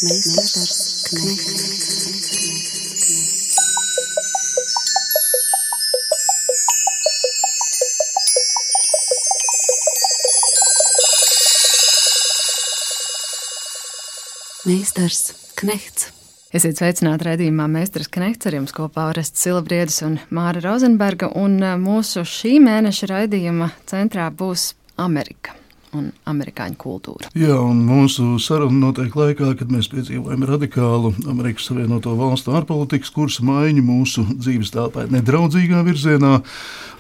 Meistars Knechts. Meistars Knechts. Esiet sveicināti raidījumā Meistars Knechts, ar jums kopā Orests Silabriedis un Māra Rozenberga, un mūsu šī mēneša raidījuma centrā būs Amerika un amerikāņu kultūra. Jā, un mūsu saruna notiek laikā, kad mēs piedzīvojam radikālu Amerikas Savienoto Valstu ārpolitikas kursa maiņu mūsu dzīves telpā nedraudzīgā virzienā,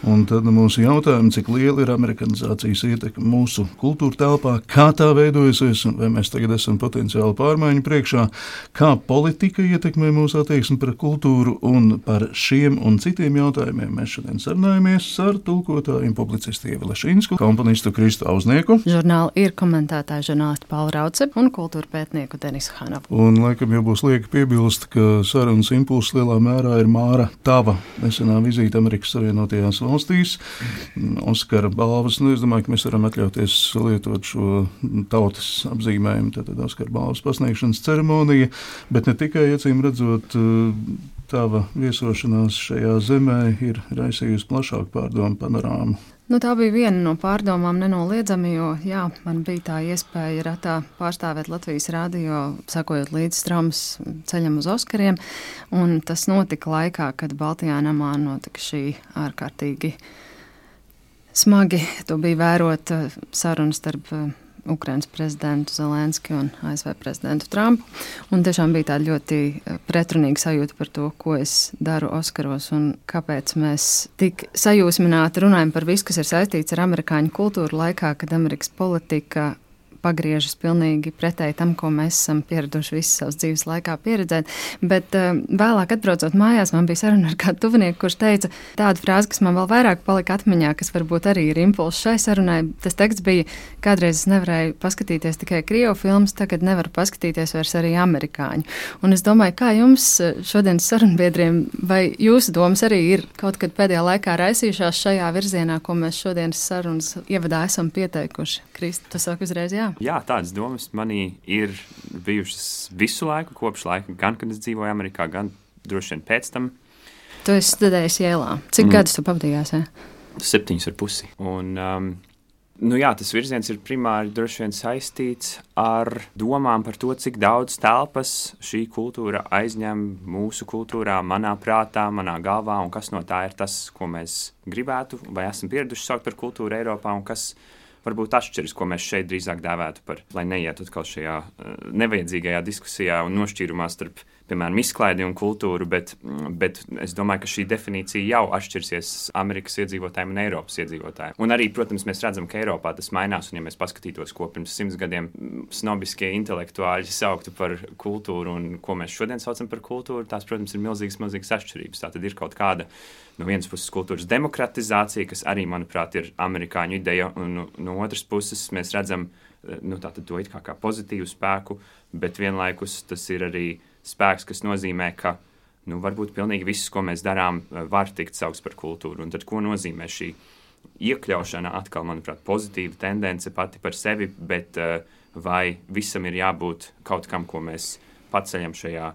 un tad mūsu jautājumi, cik liela ir amerikanizācijas ietekme mūsu kultūra telpā, kā tā veidojusies, un vai mēs tagad esam potenciāli pārmaiņu priekšā, kā politika ietekmē mūsu attieksmi pret kultūru, un par šiem un citiem jautājumiem mēs šodien sarunājamies ar tulkotāju un publicistu Ievi Lešīnsku, komponistu Kristu Auznieku, žurnāla ir komentētāja žurnālisti Paula Rauce un kultūra pētnieku Denisu Hanovu. Un laikam jau būs lieki piebilst, ka sarunas impulss lielā mērā ir Māra tava nesenā vizīte Amerikas Savienotajās valstīs. Oskara balvas, es domāju, ka mēs varam atļauties lietot šo tautas apzīmējumu, tātad Oskara balvas pasniegšanas ceremonija, bet ne tikai, acīm redzot, tava viesošanās šajā zemē ir raisījusi plašāku pārdomu panorāmu. Tā bija viena no pārdomām nenoliedzami, jo man bija tā iespēja ratā pārstāvēt Latvijas radio, sakojot līdz traumas ceļam uz Oskariem, un tas notika laikā, kad Baltijā namā notika šī ārkārtīgi smagi. To bija vērot sarunu starp Ukrainas prezidentu Zelenski un ASV prezidentu Trumpu, un tiešām bija tāda ļoti pretrunīga sajūta par to, ko es daru Oskaros un kāpēc mēs tik sajūsmināti runājam par visu, kas ir saistīts ar amerikāņu kultūru laikā, kad Amerikas politika pagriežas pilnīgi pretēji tam, ko mēs esam pieraduši visu savas dzīves laikā pieredzēt. Bet vēlāk atbraucot mājās, man bija saruna ar kādu tuvinieku, kurš teica tādu frāzi, kas man vēl vairāk palika atmiņā, kas varbūt arī ir impulss šai sarunai. Tas teksts bija, kādreiz es nevarēju paskatīties tikai krievu filmas, tagad nevaru paskatīties vairs arī amerikāņu. Un es domāju, kā jums šodienas sarunbiedriem, vai jūsu domas arī ir kaut kad pēdējā laikā raisījušās šajā virzienā, ko mēs šodienas sarunas ievadā esam pieteikuši? Kristi, tu saki uzreiz jā? Jā, tādas domas manī ir bijušas visu laiku, kopš laika, gan kad es dzīvoju Amerikā, gan droši vien pēc tam. Tu esi studējis Jēlā. Cik gadus tu pavadījās? 7,5. Un, tas virziens ir primāri droši vien saistīts ar domām par to, cik daudz telpas šī kultūra aizņem mūsu kultūrā, manā prātā, manā galvā, un kas no tā ir tas, ko mēs gribētu vai esam pieraduši saukt par kultūru Eiropā, un kas varbūt atšķiras, ko mēs šeit drīzāk dēvētu par, lai neietu atkal šajā nevajadzīgajā diskusijā un nošķīrumā starp, piemēram, izklaidi un kultūru, bet es domāju, ka šī definīcija jau atšķirsies Amerikas iedzīvotājiem un Eiropas iedzīvotājiem. Un arī, protams, mēs redzam, ka Eiropā tas mainās, un ja mēs paskatītos, ko pirms 100 gadiem snobiskie intelektuāļi sauktu par kultūru un ko mēs šodien saucam par kultūru, tās, protams, ir milzīgas atšķirības. Tā tad ir kaut kāda no vienas puses kultūras demokratizācija, kas arī, manuprāt, ir amerikāņu ideja, un no otras puses mēs redzam tātad to it kā pozitīvu spēku, bet vienlaikus tas ir arī spēks, kas nozīmē, ka varbūt pilnīgi viss, ko mēs darām, var tikt saukts par kultūru. Un tad ko nozīmē šī iekļaušana atkal, manuprāt, pozitīva tendence pati par sevi, bet vai visam ir jābūt kaut kam, ko mēs paceļam šajā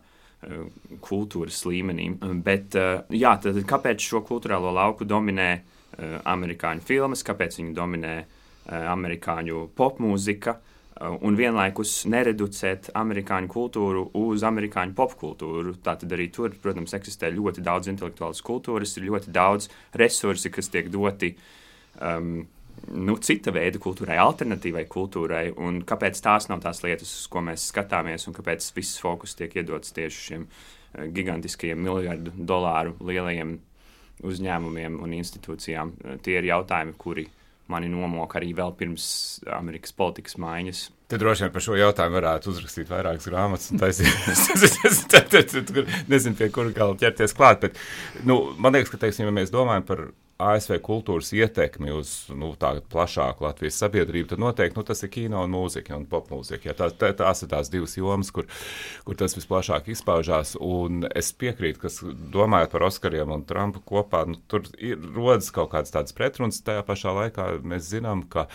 kultūras līmenī. Bet tad kāpēc šo kultūrālo lauku dominē amerikāņu filmas, kāpēc viņu dominē amerikāņu popmūzika, un vienlaikus nereducēt amerikāņu kultūru uz amerikāņu popkultūru. Tātad arī tur, protams, eksistē ļoti daudz intelektuālas kultūras, ir ļoti daudz resursi, kas tiek doti cita veida kultūrai, alternatīvai kultūrai, un kāpēc tās nav tās lietas, uz ko mēs skatāmies, un kāpēc viss fokus tiek iedots tieši šiem gigantiskajiem $1 miljardu lielajiem uzņēmumiem un institūcijām. Tie ir jautājumi, kuri mani nomok arī vēl pirms Amerikas politikas maiņas. Te droši vien par šo jautājumu varētu uzrakstīt vairākas grāmatas un taisīt. Nezinu, pie kura vēl ķerties klāt, bet man liekas, ka, ja mēs domājam par ASV kultūras ietekmi uz tādu plašāku Latvijas sabiedrību, tad noteikti tas ir kino un mūzika un popmūzika. Ja, tās ir tās divas jomas, kur tas visplašāk izpaužās. Un es piekrītu, ka domājot par Oskariem un Trumpu kopā, tur rodas kaut kādas tādas pretrunas. Tajā pašā laikā mēs zinām, ka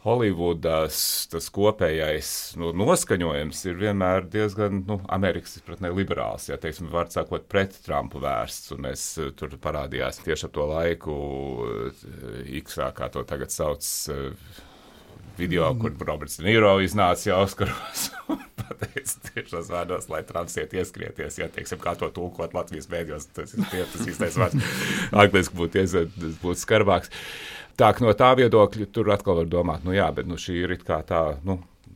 Holivudas tas kopējais noskaņojums ir vienmēr diezgan Amerikas izpratnē liberāls, ja teiksim, var sakot, pret Trumpu vērsts, un mēs tur parādījās tieši ap to laiku X-ā, kā to tagad sauc, video, kur Roberts De Niro iznāca jau Oskaros un pateica tiešos vārdos, lai Trumps iet ieskrieties, ja teiksim, kā to tulkot Latvijas mēdījos, tas īstais vārds angliski būtu skarbāks. Tā, no tā viedokļa tur atkal var domāt, jā, bet šī ir it kā tā,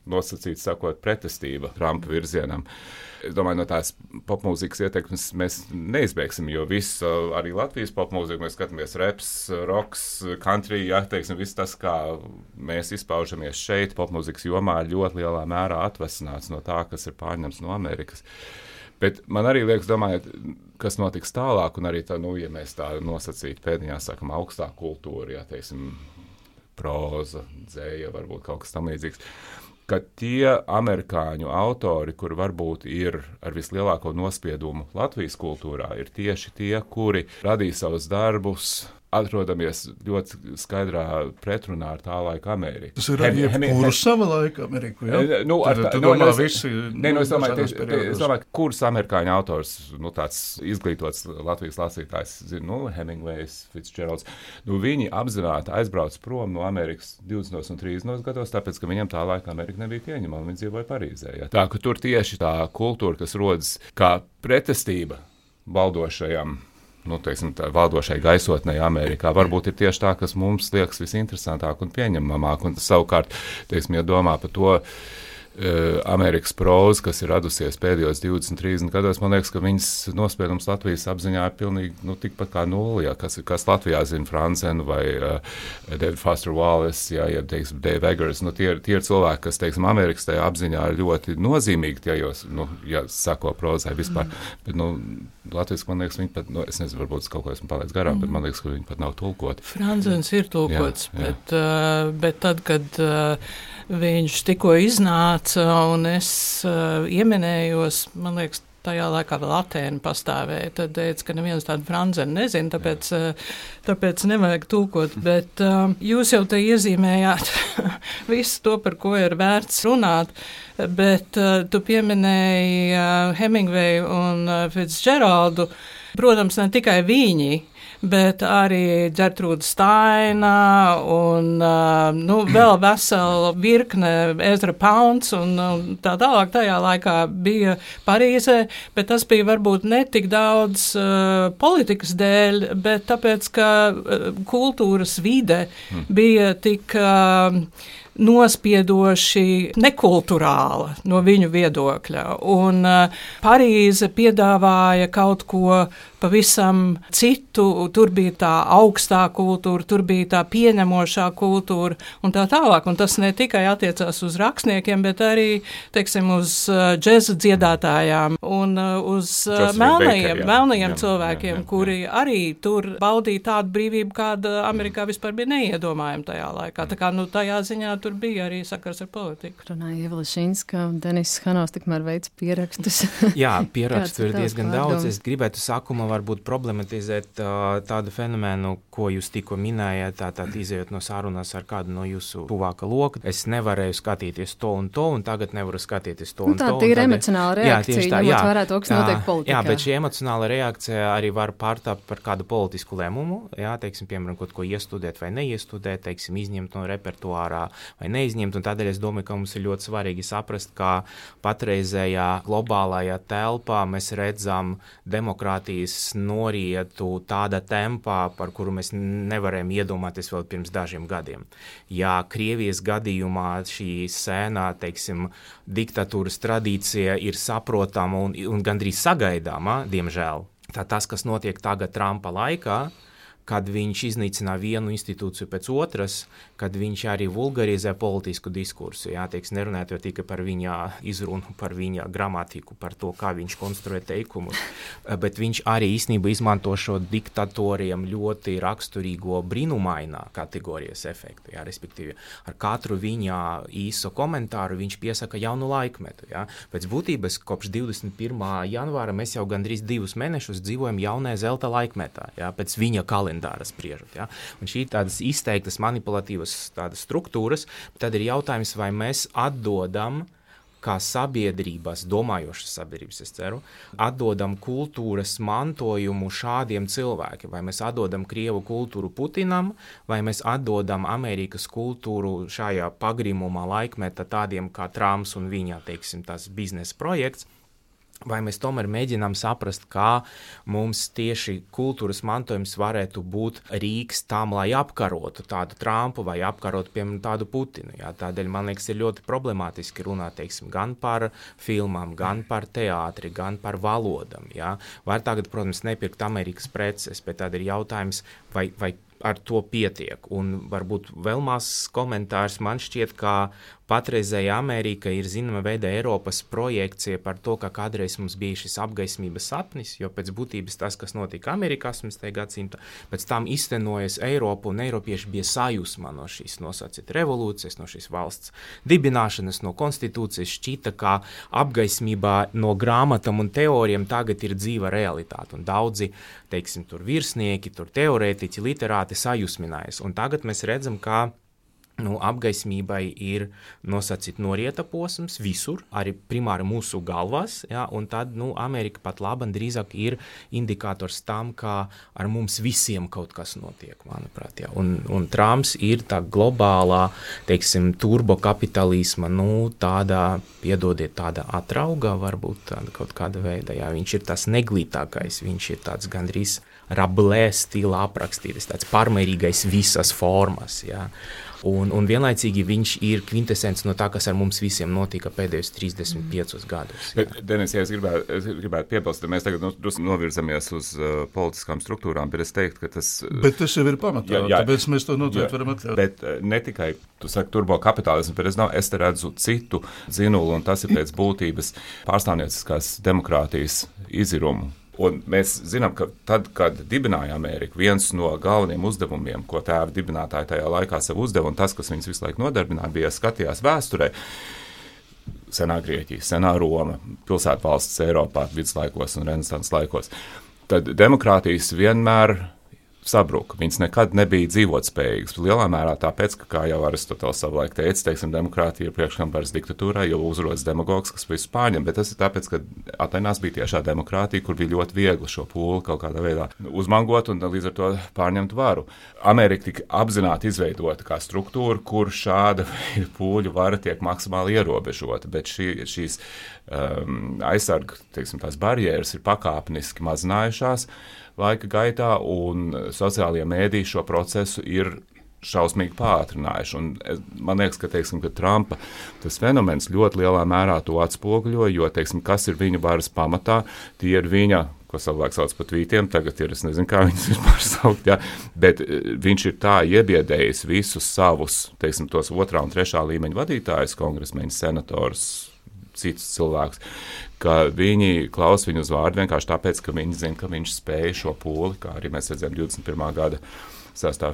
nosacīts sakot, pretestība Trumpa virzienam. Es domāju, no tās popmūzikas ietekmes mēs neizbēgsim, jo viss, arī Latvijas popmūzika, mēs skatāmies reps, roks, country, teiksim, viss tas, kā mēs izpaužamies šeit, popmūzikas jomā ļoti lielā mērā atvesināts no tā, kas ir pārņemts no Amerikas. Bet man arī liekas, domājot, kas notiks tālāk, un arī tā, ja mēs tā nosacītu pēdiņā, sakam, augstā kultūra, ja, teiksim, proza, dzēja, varbūt kaut kas tam līdzīgs, ka tie amerikāņu autori, kur varbūt ir ar vislielāko nospiedumu Latvijas kultūrā, ir tieši tie, kuri radīja savus darbus, atrodamies ļoti skaidrā pretrunā ar tā laika Ameriku. Tas ir ar jebkuru sava laika Ameriku, ja? Es domāju, kurus amerikāņu autors, tāds izglītots Latvijas lasītājs, Hemingways, Fitzgeralds, viņi apzināti aizbrauc prom no Amerikas 20. un 30. gados, tāpēc, ka viņam tā laika Amerika nebija pieņemama, viņi dzīvoja Parīzē. Ja? Tā, ka tur tieši tā kultūra, kas rodas kā pretestība valdošajam, teiksim, tā valdošai gaisotnei Amerikā, varbūt ir tieši tā, kas mums liekas visinteresantāk un pieņemamāk, un savukārt, teiksim, ja domā par to Amerikas próza, kas ir radusies pēdējos 20-30 gados, man liekas, ka viņas nospiedums Latvijas apziņā ir pilnīgi tikpat kā nulli, ja, kas Latvijā zina Franzenu vai David Foster Wallace, ja teiksim, Dave Eggers, tie ir cilvēki, kas, teiksim, Amerikas tajā apziņā ir ļoti nozīmīgi, ja sako prozai vispār, bet, Latvijas, man liekas, viņi pat, es nezinu, varbūt kaut ko esmu palaidis garām, bet man liekas, ka viņi pat nav tulkoti. Franzens ir tulkots, bet tad, kad viņš tikko iznāca un es ieminējos, man liekas, tajā laikā vēl Atēna pastāvēja, tad teica, ka neviens tādu Franzenu nezina, tāpēc nevajag tulkot, bet jūs jau te iezīmējāt visu to, par ko ir vērts runāt, bet tu pieminēji Hemingwayu un Fitzgeraldu, protams, ne tikai viņi, bet arī Ģertrūda Staina un vēl vesela virkne Ezra Pounds un tā tālāk tajā laikā bija Parīzē, bet tas bija varbūt ne tik daudz politikas dēļ, bet tāpēc, ka kultūras vide bija tik nospiedoši nekulturāla no viņu viedokļa. Un Parīze piedāvāja kaut ko pavisam citu, tur bija tā augstā kultūra, tur bija tā pieņemošā kultūra un tā tālāk. Un tas ne tikai attiecās uz rakstniekiem, bet arī, teiksim, uz džeza dziedātājām un uz melnajiem cilvēkiem, kuri arī tur baudīja tādu brīvību, kāda Amerikā vispār bija neiedomājama tajā laikā. Tā kā, tajā ziņā tur bija arī sakars ar politiku. Runāja Ieva Lišinska, Denis Hanovs tikmēr veic pierakstus. Jā, pierakstu ir diezgan daudz. Es gribētu sākumā varbūt problematizēt tādu fenomenu, ko jūs tikko minējāt, tātad izējot no sarunas ar kādu no jūsu tuvāka loka. Es nevarēju skatīties to, un tagad nevaru skatīties to un to. Tā ir emocionāla reakcija, ņemot vērā to, kas notiek politikā. Jā, bet šī emocionāla reakcija arī var pārtapt par kādu politisku lēmumu, jā, teiksim, piemēram, kaut ko iestudēt vai neiestudēt, teiksim, izņemt no repertuārā vai neizņemt, un tādēļ es domāju, ka mums ir ļoti svarīgi saprast, kā patreizējā globālajā telpā mēs redzam demokrātijas norietu tāda tempā, par kuru mēs nevarējām iedomāties vēl pirms dažiem gadiem. Ja Krievijas gadījumā šī sēnā, teiksim, diktatūras tradīcija ir saprotama un gandrīz sagaidāma, diemžēl, tā tas, kas notiek tagad Trumpa laikā, kad viņš iznīcina vienu institūciju pēc otras, kad viņš arī vulgarizē politisku diskursu. Jā, teiks, nerunājot jau tikai par viņa izrunu, par viņa gramatiku, par to, kā viņš konstruē teikumus, bet viņš arī īstenībā izmanto šo diktatoriem ļoti raksturīgo brīnumainā kategorijas efektu. Jā, respektīvi, ar katru viņa īso komentāru viņš piesaka jaunu laikmetu. Jā. Pēc būtības kopš 21. janvāra mēs jau gandrīz 2 mēnešus dzīvojam jaunajā zelta laikmetā, jā, pēc viņa kalendāra. kalendāra spriežot. Ja? Un šī tādas izteiktas manipulatīvas tādas struktūras, tad ir jautājums, vai mēs atdodam kā sabiedrības, domājošas sabiedrības, es ceru, atdodam kultūras mantojumu šādiem cilvēkiem. Vai mēs atdodam Krievu kultūru Putinam, vai mēs atdodam Amerikas kultūru šajā pagrimumā laikmeta tādiem kā Trumps un viņa, teiksim, tas biznesa projekts. Vai mēs tomēr mēģinām saprast, kā mums tieši kultūras mantojums varētu būt rīks tam, lai apkarotu tādu Trumpu vai apkarotu, piemēram, tādu Putinu. Jā. Tādēļ, man liekas, ir ļoti problemātiski runāt, teiksim, gan par filmām, gan par teātri, gan par valodam. Jā. Var tagad, protams, nepirkt Amerikas preces, bet tad ir jautājums, vai ar to pietiek. Un varbūt vēl mazs komentārs, man šķiet, ka patreizēja Amerika ir zināma veida Eiropas projekcija par to, ka kādreiz mums bija šis apgaismības sapnis, jo pēc būtības tas, kas notika Amerikā 18. gadsimta, pēc tam iztenojas Eiropu, un eiropieši bija sajūsmā no šīs nosacīt revolūcijas, no šīs valsts dibināšanas, no konstitūcijas, šķita, ka apgaismībā no grāmatām un teorijām tagad ir dzīva realitāte, un daudzi, teiksim, tur virsnieki, tur teorētiķi, literāti sajūsminājas, un tagad mēs redzam, ka apgaismībai ir nosacīt norieta posms visur, arī primāri mūsu galvās, ja, un tad Amerika pat labam drīzāk ir indikators tam, ka ar mums visiem kaut kas notiek, manuprāt. Ja. Un Trumps ir tā globālā, teiksim, turbokapitalisma, tāda, piedodiet, tāda atrauga, varbūt tāda kaut kāda veida. Ja. Viņš ir tas neglītākais, viņš ir tāds gandrīz Rabelais stila aprakstītas, tāds pārmērīgais visas formas, ja. Un vienlaicīgi viņš ir kvintesence no tā, kas ar mums visiem notika pēdējos 35 gadus. Denis, ja es gribētu piebilst, mēs tagad novirzamies uz politiskām struktūrām, bet es teiktu, ka tas... Bet tas jau ir pamatā, tāpēc mēs to noteikti varam atļaut. Bet ne tikai, tu saki, turbokapitālismu, bet es te redzu citu zinulu, un tas ir pēc būtības pārstāvnieciskās demokrātijas izirumu. Un mēs zinām, ka tad, kad dibināja Ameriku, viens no galvenajiem uzdevumiem, ko tēva dibinātāji tajā laikā sev uzdeva, un tas, kas viņus visu laiku nodarbināja, bija skatījās vēsturē, senā Grieķija, senā Roma, pilsētvalstis Eiropā, viduslaikos un renesanses laikos. Tad demokrātijas vienmēr sabruka. Viņas nekad nebija dzīvotspējīgas. Lielā mērā tāpēc, ka, kā jau Aristoteles savulaik teica, teiksim, demokrātija ir priekškambars diktatūrai, jo uzrodas demagogs, kas visu pārņem, bet tas ir tāpēc, ka Atenās bija tiešā demokrātija, kur bija ļoti viegli šo pūli kaut kādā veidā uzmangot un līdz ar to pārņemt varu. Amerika tika apzināti izveidota kā struktūra, kur šāda pūļu vara tiek maksimāli ierobežota, bet šīs aizsarga, teiksim, tās barjeras ir pakāpeniski mazinājušās laika gaitā, un sociālie mēdīji šo procesu ir šausmīgi pātrinājuši. Un man liekas, ka Trumpa tas fenomens ļoti lielā mērā to atspoguļo, jo, kas ir viņa varas pamatā, tie ir viņa, ko savulaik sauc par tvītiem, tagad ir, es nezinu, kā viņas vispār saukt, ja, bet viņš ir tā iebiedējis visus savus, tos 2. un 3. līmeņa vadītājus, kongresmeņus, senatorus, citus cilvēkus, ka viņi klaus viņu uz vārdu vienkārši tāpēc, ka viņi zina, ka viņš spēja šo pūli, kā arī mēs redzējām 21. gada 6.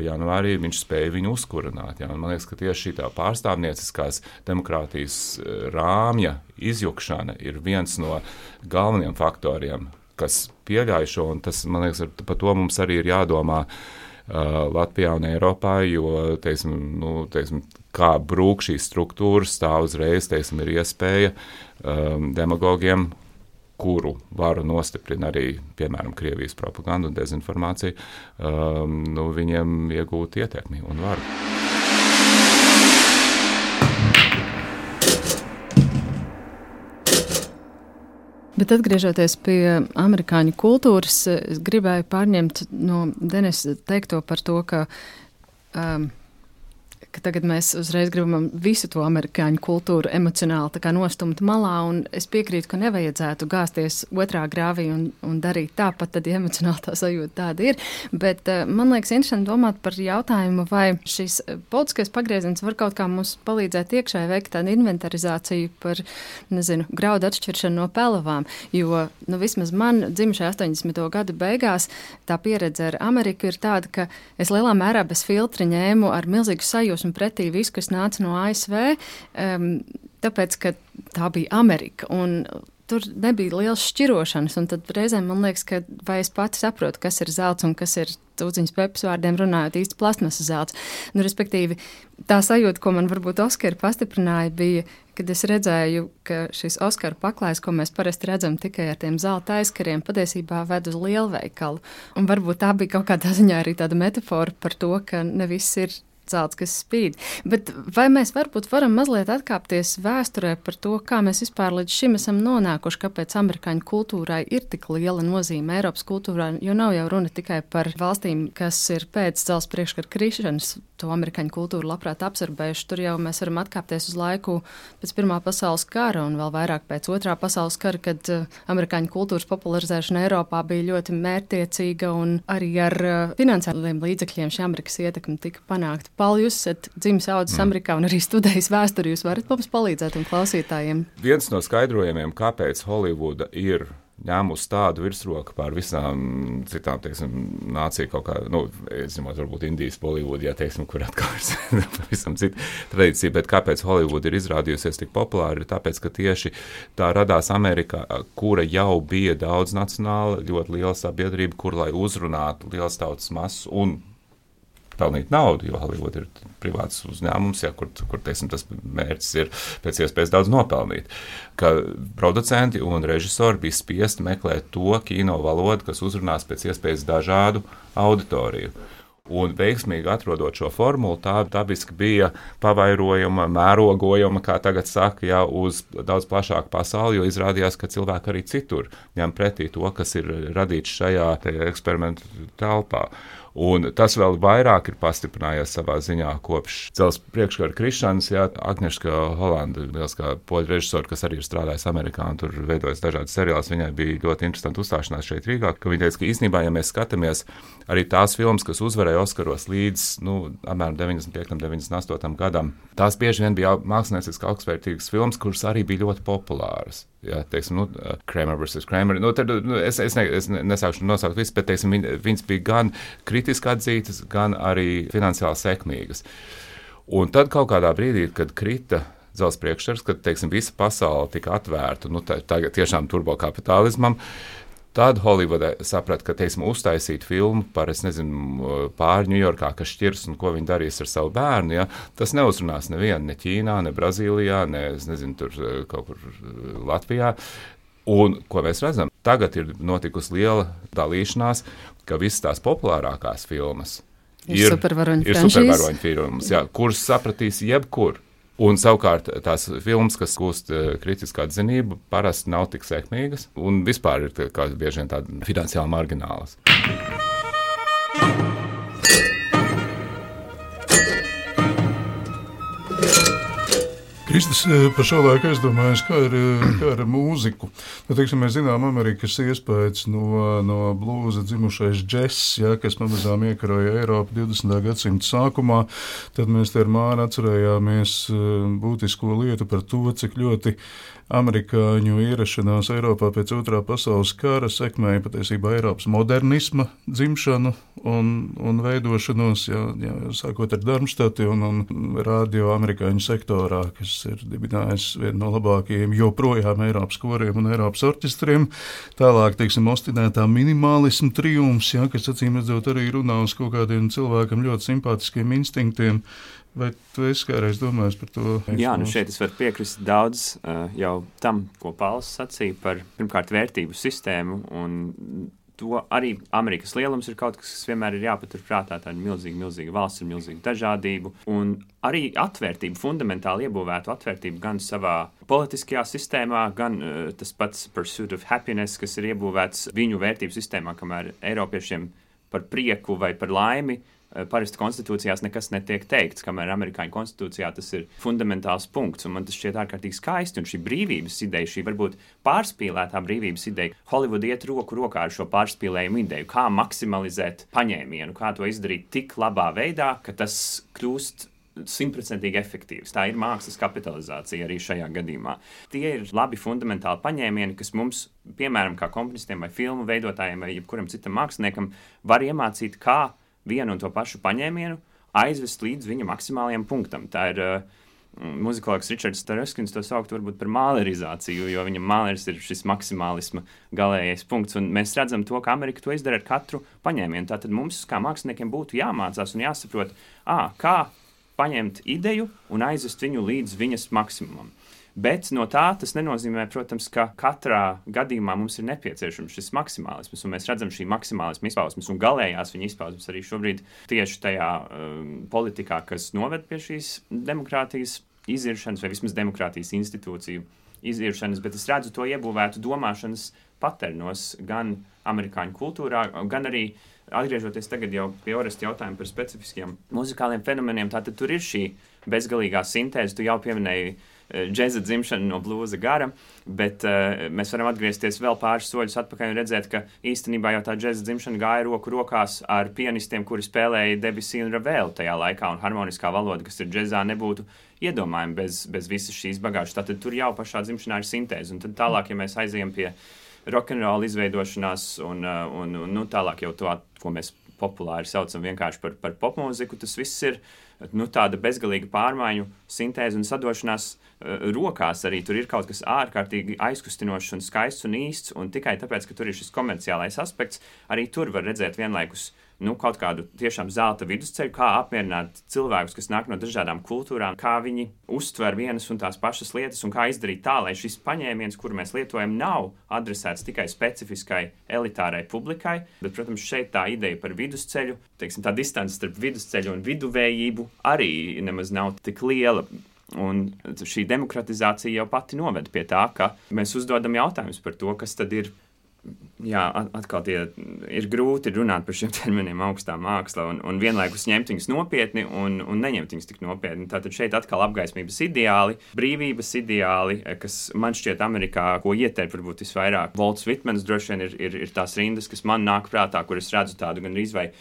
janvārī, viņš spēja viņu uzkurināt. Ja? Man liekas, ka tieši šī tā pārstāvnieciskās demokrātijas rāmja izjukšana ir viens no galvenajiem faktoriem, kas pieļauj šo, un tas, man liekas, par to mums arī ir jādomā Latvijā un Eiropā, jo, kā brūk šīs struktūras, tā uzreiz, ir iespēja demagogiem, kuru varu nostiprina arī, piemēram, Krievijas propaganda un dezinformācija, viņiem iegūt ietekmi un varu. Bet atgriežoties pie amerikāņu kultūras, es gribēju pārņemt no Denisa teikto par to, ka tagad mēs uzreiz gribam visu to amerikāņu kultūru emocionāli tā kā nostumt malā, un es piekrītu, ka nevajadzētu gāzties otrā grāvī un darīt tāpat, tad emocionāli tā sajūta tāda ir. Bet man liekas interesanti domāt par jautājumu, vai šis politiskais pagrieziens var kaut kā mums palīdzēt iekšēji veikt tādu inventarizāciju par, graudu atšķiršanu no pelavām, jo, vismaz man dzimušajā 80. gadu beigās tā pieredze ar Ameriku ir tāda, ka es lielā mērā bez filtra ņēmu ar milzīgu sajūsmu pretī visu, kas nāca no ASV, tāpēc, ka tā bija Amerika. Un tur nebija liels šķirošanas, un tad reizēm man liekas, ka vai es pati saprotu, kas ir zelts un kas ir Tūdziņas Pepes vārdiem runājot īsti plasmasas zelts. Respektīvi, tā sajūta, ko man varbūt Oskari pastiprināja, bija, kad es redzēju, ka šis Oskaru paklājs, ko mēs parasti redzam tikai ar tiem zelta aizkariem, patiesībā ved uz lielveikalu. Un varbūt tā bija kaut kādā ziņā arī tāda metafora par to, ka ne viss ir zelts, kas spīd. Bet vai mēs varbūt varam mazliet atkāpties vēsturē par to, kā mēs vispār līdz šim esam nonākuši, kāpēc amerikāņu kultūrai ir tik liela nozīme Eiropas kultūrā, jo nav jau runa tikai par valstīm, kas ir pēc dzelzs priekškara krišanas, to amerikāņu kultūru labprāt absorbējuši. Tur jau mēs varam atkāpties uz laiku pēc Pirmā pasaules kara un vēl vairāk pēc Otrā pasaules kara, kad amerikāņu kultūras popularizēšana Eiropā bija ļoti mērķtiecīga un arī ar finansiāliem līdzekļiem šī Amerikas ietekme tika panākta. Paul, jūs esat dzimis audzis Amerikā un arī studējis vēsturi. Jūs varat mums palīdzēt un klausītājiem? Viens no skaidrojumiem, kāpēc Holivuda ir ņēmusi tādu virsroku pār visām citām, teiksim, nāciju kaut kā, es zinot, varbūt Indijas Bollywood, teiksim, kur atkal ir pavisam cita tradīcija, bet kāpēc Holivuda ir izrādījusies tik populāri, ir tāpēc, ka tieši tā radās Amerikā, kura jau bija daudz nacionāla, ļoti liela sabiedrība, kur, lai uzrunātu liels tautas masas un pelnīt naudu, jo Hollywood ir privāts uzņēmums, kur teiksim, tas mērķis ir pēc iespējas daudz nopelnīt. Ka producenti un režisori bija spiesti meklēt to kino valodu, kas uzrunās pēc iespējas dažādu auditoriju. Un veiksmīgi atrodot šo formulu, tā dabiski bija pavairojuma, mērogojuma, kā tagad saka, uz daudz plašāku pasauli, jo izrādījās, ka cilvēki arī citur ņem pretī to, kas ir radīts šajā eksperimentu telpā. Un tas vēl vairāk ir pastiprinājies savā ziņā kopš dzelzs priekškara krišanas. Agnieszka Holanda, lieliskā poļu režisora, kas arī ir strādājis Amerikā un tur veidojas dažādas seriālus, viņai bija ļoti interesanti uzstāšanās šeit Rīgā, ka viņa teica, ka īstenībā, ja mēs skatāmies arī tās filmas, kas uzvarēja Oskaros līdz apmēram 95. 98. gadam, tās bieži vien bija mākslinieciski augstvērtīgas filmas, kuras arī bija ļoti populāras. Teiksim, Kramer vs. Kramer. Es nesākšu nosaukt visu, bet teiksim, viņas bija gan kritiski atzītas, gan arī finansiāli sekmīgas. Un tad kaut kādā brīdī, kad krita dzelzs priekškars, kad teiksim, visa pasaule tika atvērta, tagad tiešām turbokapitālismam, tad Holivuda saprata, ka, teiksim, uztaisīt filmu par, pāri Ņujorkā, kas šķirs un ko viņi darīs ar savu bērnu, tas neuzrunās nevienu, ne Ķīnā, ne Brazīlijā, tur kaut kur Latvijā. Un, ko mēs redzam, tagad ir notikusi liela dalīšanās, ka visas tās populārākās filmas ir supervaroņu filmas, kuras sapratīs jebkur. Un savukārt tās filmas, kas gūst kritisku atzinību, parasti nav tik sekmīgas un vispār ir bieži vien tādas finansiāli marginālas. Kristis par šo laiku aizdomājas, kā ir ar mūziku. Teiksim, mēs zinām Amerikas iespējas no blūza dzimušais džess, kas pamazām iekaroja Eiropu 20. gadsimta sākumā. Tad mēs te ar Māru atcerējāmies būtisko lietu par to, cik ļoti amerikāņu ierašanās Eiropā pēc Otrā pasaules kara sekmēja patiesībā Eiropas modernisma dzimšanu un veidošanos, sākot ar Darmstati un radio amerikāņu sektorā, kas ir dibinājis vienu no labākajiem joprojām Eiropas koriem un Eiropas orķestriem. Tālāk, teiksim, ostinētā minimālismu triumfs, kas acīm redzot arī runā uz kaut kādiem cilvēkam ļoti simpātiskiem instinktiem. Vai tu esi kādreiz domājis par to? Šeit es varu piekrist daudz jau tam, ko Pauls sacīja par, pirmkārt, vērtību sistēmu, un to arī Amerikas lielums ir kaut kas vienmēr ir jāpatur prātā, tāda milzīga valsts ar milzīgu dažādību, un arī atvērtību, fundamentāli iebūvētu atvērtību gan savā politiskajā sistēmā, gan tas pats pursuit of happiness, kas ir iebūvēts viņu vērtību sistēmā, kamēr Eiropiešiem par prieku vai par laimi parasti konstitūcijās nekas netiek teikts, kamēr amerikāņu konstitūcijā tas ir fundamentāls punkts, un man tas šķiet ārkārtīgi skaisti, un šī brīvības ideja, šī varbūt pārspīlētā brīvības ideja, Hollywood iet roku rokā ar šo pārspīlējumu ideju, kā maksimalizēt paņēmienu, kā to izdarīt tik labā veidā, ka tas kļūst 100% efektīvs. Tā ir mākslas kapitalizācija arī šajā gadījumā. Tie ir labi fundamentāli paņēmieni, kas mums, piemēram, kā komponistiem vai filmu veidotājiem vai jebkuram citam māksliniekam, var iemācīt, kā vienu un to pašu paņēmienu aizvest līdz viņa maksimālajam punktam. Tā ir muzikologs Ričards Starevskins to saukt varbūt par mālerizāciju, jo viņam māleris ir šis maksimālisma galējais punkts, un mēs redzam to, ka Amerika to izdara ar katru paņēmienu. Tātad mums, kā māksliniekiem, būtu jāmācās un jāsaprot, kā paņemt ideju un aizvest viņu līdz viņas maksimumam. Bet no tā tas nenozīmē, protams, ka katrā gadījumā mums ir nepieciešams šis maksimālisms, un mēs redzam šī maksimālisma izpausmes un galējās viņa izpausmes arī šobrīd tieši tajā politikā, kas noved pie šīs demokrātijas iziršanas, vai vismaz demokrātijas institūciju iziršanas, bet es redzu to iebūvētu domāšanas paternos gan amerikāņu kultūrā, gan arī atgriežoties tagad jau pie Oresta jautājuma par specifiskiem muzikāliem fenomeniem, tātad tur ir šī bezgalīgā sintēze, tu jau pieminēji džeza dzimšanu no blūza gara, bet mēs varam atgriezties vēl pāris soļus atpakaļ un redzēt, ka īstenībā jau tā džeza dzimšana gāja roku rokās ar pianistiem, kuri spēlēja Debussy un Ravelu tajā laikā, un harmoniskā valoda, kas ir džezā, nebūtu iedomājama bez visas šīs bagāžas. Tātad tur jau pašā dzimšanā ir sintēze, un tad tālāk, ja mēs aizejam pie rock'n'roll izveidošanās un tālāk jau to, ko mēs populāri saucam vienkārši par popmūziku, tas viss ir tāda bezgalīga pārmaiņu sintēze un sadošanās rokās arī. Tur ir kaut kas ārkārtīgi aizkustinošs un skaists un īsts, un tikai tāpēc, ka tur ir šis komerciālais aspekts, arī tur var redzēt vienlaikus kaut kādu tiešām zelta vidusceļu, kā apmierināt cilvēkus, kas nāk no dažādām kultūrām, kā viņi uztver vienas un tās pašas lietas, un kā izdarīt tā, lai šis paņēmiens, kuru mēs lietojam, nav adresēts tikai specifiskai elitārai publikai, bet, protams, šeit tā ideja par vidusceļu, teiksim, tā distance starp vidusceļu un viduvējību arī nemaz nav tik liela. Un šī demokratizācija jau pati noved pie tā, ka mēs uzdodam jautājumus par to, kas tad ir. Jā, atkal ir grūti runāt par šiem terminiem augstā māksla un vienlaikus ņemt viņus nopietni un neņemt viņus tik nopietni. Tātad šeit atkal apgaismības ideāli, brīvības ideāli, kas man šķiet Amerikā, ko ieterp varbūt visvairāk. Volts Vitmens droši vien ir tās rindas, kas man nāk prātā, kur es redzu tādu gan rīzvai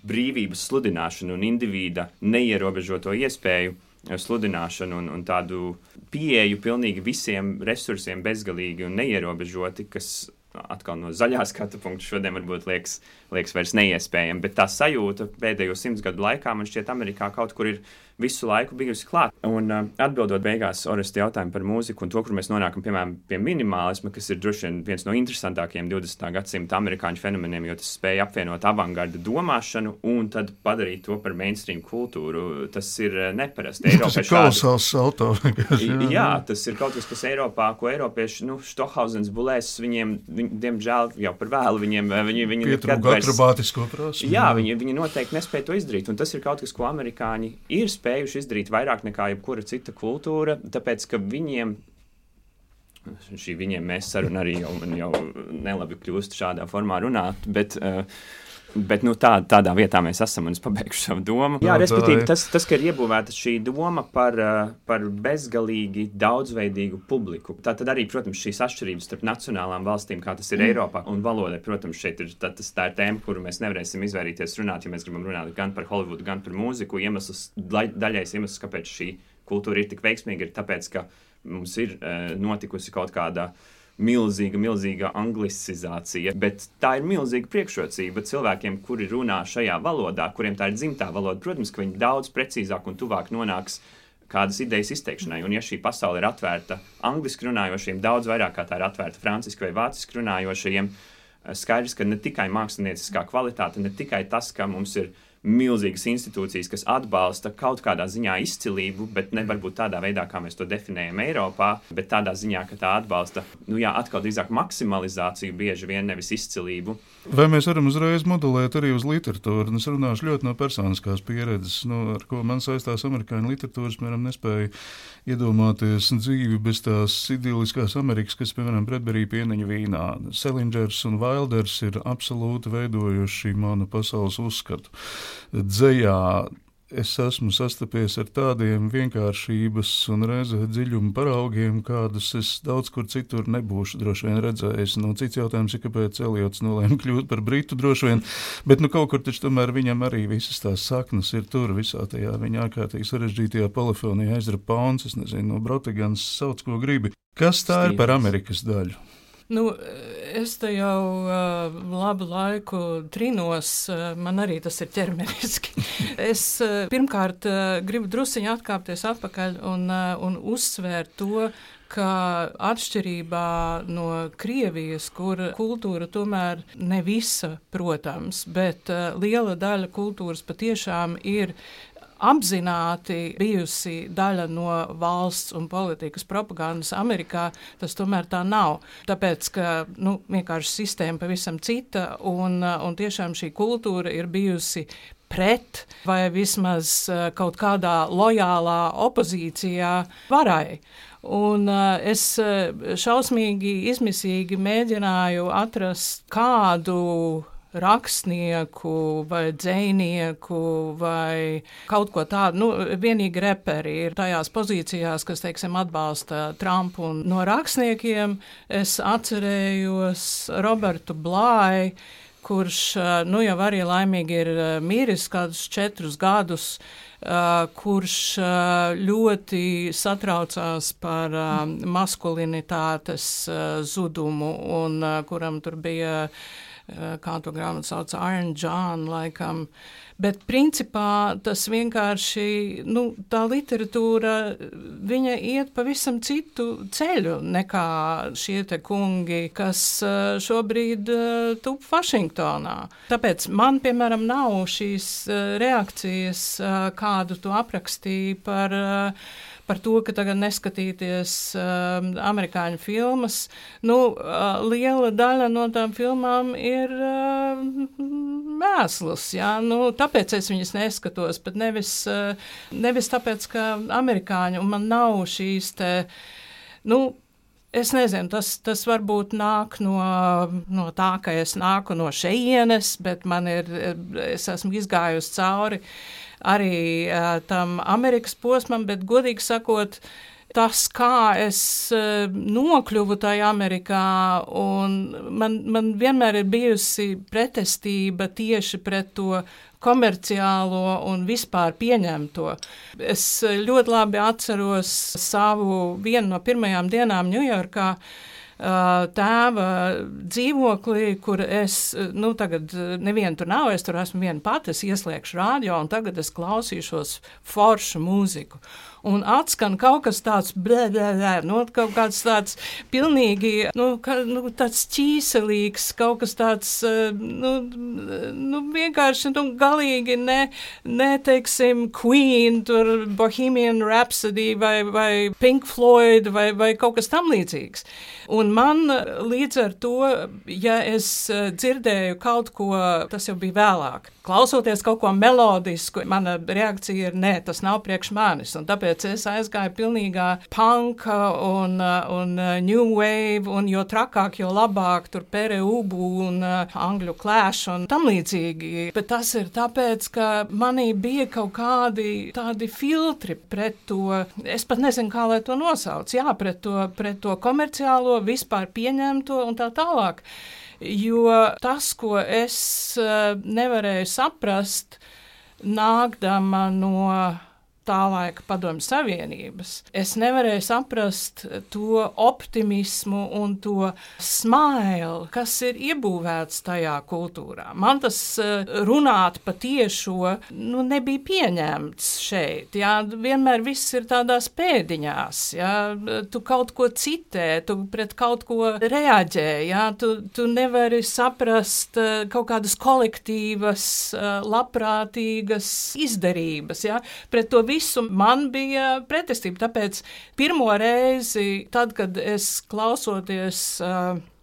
brīvības sludināšanu un indivīda neierobežoto iespēju sludināšanu un tādu pieeju pilnīgi visiem resursiem bezgalīgi un neierobežoti, kas atkal no zaļā skatu punkta šodien varbūt liekas vairs neiespējami, bet tā sajūta pēdējo 100 gadu laikā man šķiet Amerikā kaut kur ir visu laiku bijusi klāt. Un atbildot beigās Oresta jautājumu par mūziku un to, kur mēs nonākam, piemēram, pie minimālisma, kas ir droši vien viens no interesantākajiem 20. gadsimta amerikāņu fenomeniem, jo tas spēja apvienot avangarda domāšanu un tad padarīt to par mainstream kultūru. Tas ir neparasti. Tas ir kolosāls salto. Jā, tas ir kaut kas Eiropā, ko eiropieši, Stohausens, Bulēs, viņiem, diemžēl, jau par vēlu, viņi pietrūka akrobātisko prasmi. Jā, viņi noteikti nespēja to izdarīt, un tas ir kaut kas, ko amerikāņi ir spējuši izdarīt vairāk nekā jebkura cita kultūra, tāpēc, ka viņiem mēs saruna arī jau nelabi kļūst šādā formā runāt, bet tādā vietā mēs esam, un es pabeigšu savu domu. Jā, respektīvi, tas, ka ir iebūvēta šī doma par bezgalīgi daudzveidīgu publiku. Tā tad arī, protams, šīs atšķirības starp nacionālām valstīm, kā tas ir Eiropā, un valodai, protams, šeit ir tā ir tēma, kuru mēs nevarēsim izvairīties runāt, ja mēs gribam runāt gan par Holivudu, gan par mūziku. Daļais iemesls, kāpēc šī kultūra ir tik veiksmīga, ir tāpēc, ka mums ir notikusi kaut kāda milzīga anglicizācija, bet tā ir milzīga priekšrocība cilvēkiem, kuri runā šajā valodā, kuriem tā ir dzimtā valoda. Protams, ka viņi daudz precīzāk un tuvāk nonāks kādas idejas izteikšanai, un ja šī pasaule ir atvērta angliski runājošiem daudz vairāk, kā tā ir atvērta franciski vai vāciski runājošiem, skaidrs, ka ne tikai mākslinieckā kvalitāte, ne tikai tas, ka mums ir milzīgas institūcijas, kas atbalsta kaut kādā ziņā izcilību, bet ne varbūt tādā veidā, kā mēs to definējam Eiropā, bet tādā ziņā, ka tā atbalsta, atkal drīzāk maksimalizāciju bieži vien, nevis izcilību. Vai mēs varam uzreiz modelēt arī uz literatūru? Es runāšu ļoti no personiskās pieredzes, ar ko man saistās amerikāņu literatūras, piemēram, nespēju iedomāties dzīvi bez tās idiliskās Amerikas, kas, piemēram, Bredberī pieniņa vīnā. Selingers un Wilders ir absolūti veidojuši manu pasaules uzskatu. Dzejā es esmu sastapies ar tādiem vienkāršības un reizē dziļuma paraugiem, kādus es daudz kur citur nebūšu droši vien redzējis. Cits jautājums ir, kāpēc Eliots nolēma kļūt par britu droši vien, bet kaut kur taču tomēr viņam arī visas tās saknes ir tur visā tajā viņa ārkārtīgi sarežģītajā polifonijā Ezra Pauns, es nezinu, no Brotigans sauc, ko gribi. Kas tā ir par Amerikas daļu? Nu, es te jau labu laiku trinos, man arī tas ir ķermeniski. Es pirmkārt gribu drusiņu atkāpties atpakaļ un uzsvērt to, ka atšķirībā no Krievijas, kur kultūra tomēr ne visa, protams, bet liela daļa kultūras patiešām ir apzināti bijusi daļa no valsts un politikas propagandas Amerikā, tas tomēr tā nav. Tāpēc, ka vienkārši sistēma pavisam cita un tiešām šī kultūra ir bijusi pret vai vismaz kaut kādā lojālā opozīcijā varai. Un es šausmīgi, izmisīgi mēģināju atrast kādu rakstnieku vai dzejnieku vai kaut ko tādu. Vienīgi reperi ir tajās pozīcijās, kas, teiksim, atbalsta Trumpu. Un no rakstniekiem es atcerējos Robertu Blāju, kurš jau arī laimīgi ir miris kādus 4 gadus, kurš ļoti satraucās par maskulinitātes zudumu un kuram tur bija kā to grāmatu sauc, Iron John, laikam. Bet principā tas vienkārši, tā literatūra, viņa iet pavisam citu ceļu nekā šie te kungi, kas šobrīd tup Vašingtonā. Tāpēc man, piemēram, nav šīs reakcijas, kādu tu aprakstīji par to, ka tagad neskatīties amerikāņu filmas. Liela daļa no tām filmām ir mēsls, tāpēc es viņas neskatos, bet nevis tāpēc, ka amerikāņi, un man nav šīs te, es nezinu, tas varbūt nāk no tā, ka es nāku no šejienes, bet es esmu izgājusi cauri arī tam Amerikas posmam, bet godīgi sakot, tas, kā es nokļuvu tajā Amerikā, un man vienmēr ir bijusi pretestība tieši pret to komerciālo un vispār pieņemto. Es ļoti labi atceros vienu no pirmajām dienām Ņujorkā, tēva dzīvoklī, kur es, tagad nevienu tur nav, es tur esmu viena pati, es ieslēgšu rādio, un tagad es klausīšos foršu mūziku. Un atskan kaut kas tāds, kaut kāds tāds pilnīgi, tāds ķīselīgs, kaut kas tāds, vienkārši, galīgi teiksim, Queen, tur Bohemian Rhapsody vai Pink Floyd vai kaut kas tam līdzīgs. Un man līdz ar to, ja es dzirdēju kaut ko, tas jau bija vēlāk, klausoties kaut ko melodisku, mana reakcija ir, nē, tas nav priekš manis, un tāpēc es aizgāju pilnīgā punka un new wave, un jo trakāk, jo labāk, tur Pere Ubu un angļu Clash un tam līdzīgi. Bet tas ir tāpēc, ka manī bija kaut kādi tādi filtri pret to, es pat nezinu, kā lai to nosauc, pret to komerciālo, vispār pieņemto un tā tālāk. Jo tas, ko es nevarēju saprast, nākdama no tā laika Padomju Savienības, es nevarēju saprast to optimismu un to smailu, kas ir iebūvēts tajā kultūrā. Man tas runāt patiešo, nebija pieņemts šeit. Vienmēr viss ir tādās pēdiņās. Tu kaut ko citē, tu pret kaut ko reaģē. Tu nevari saprast kaut kādas kolektīvas, labprātīgas izdarības. Pret to visu man bija pretestība, tāpēc pirmo reizi, tad, kad es klausoties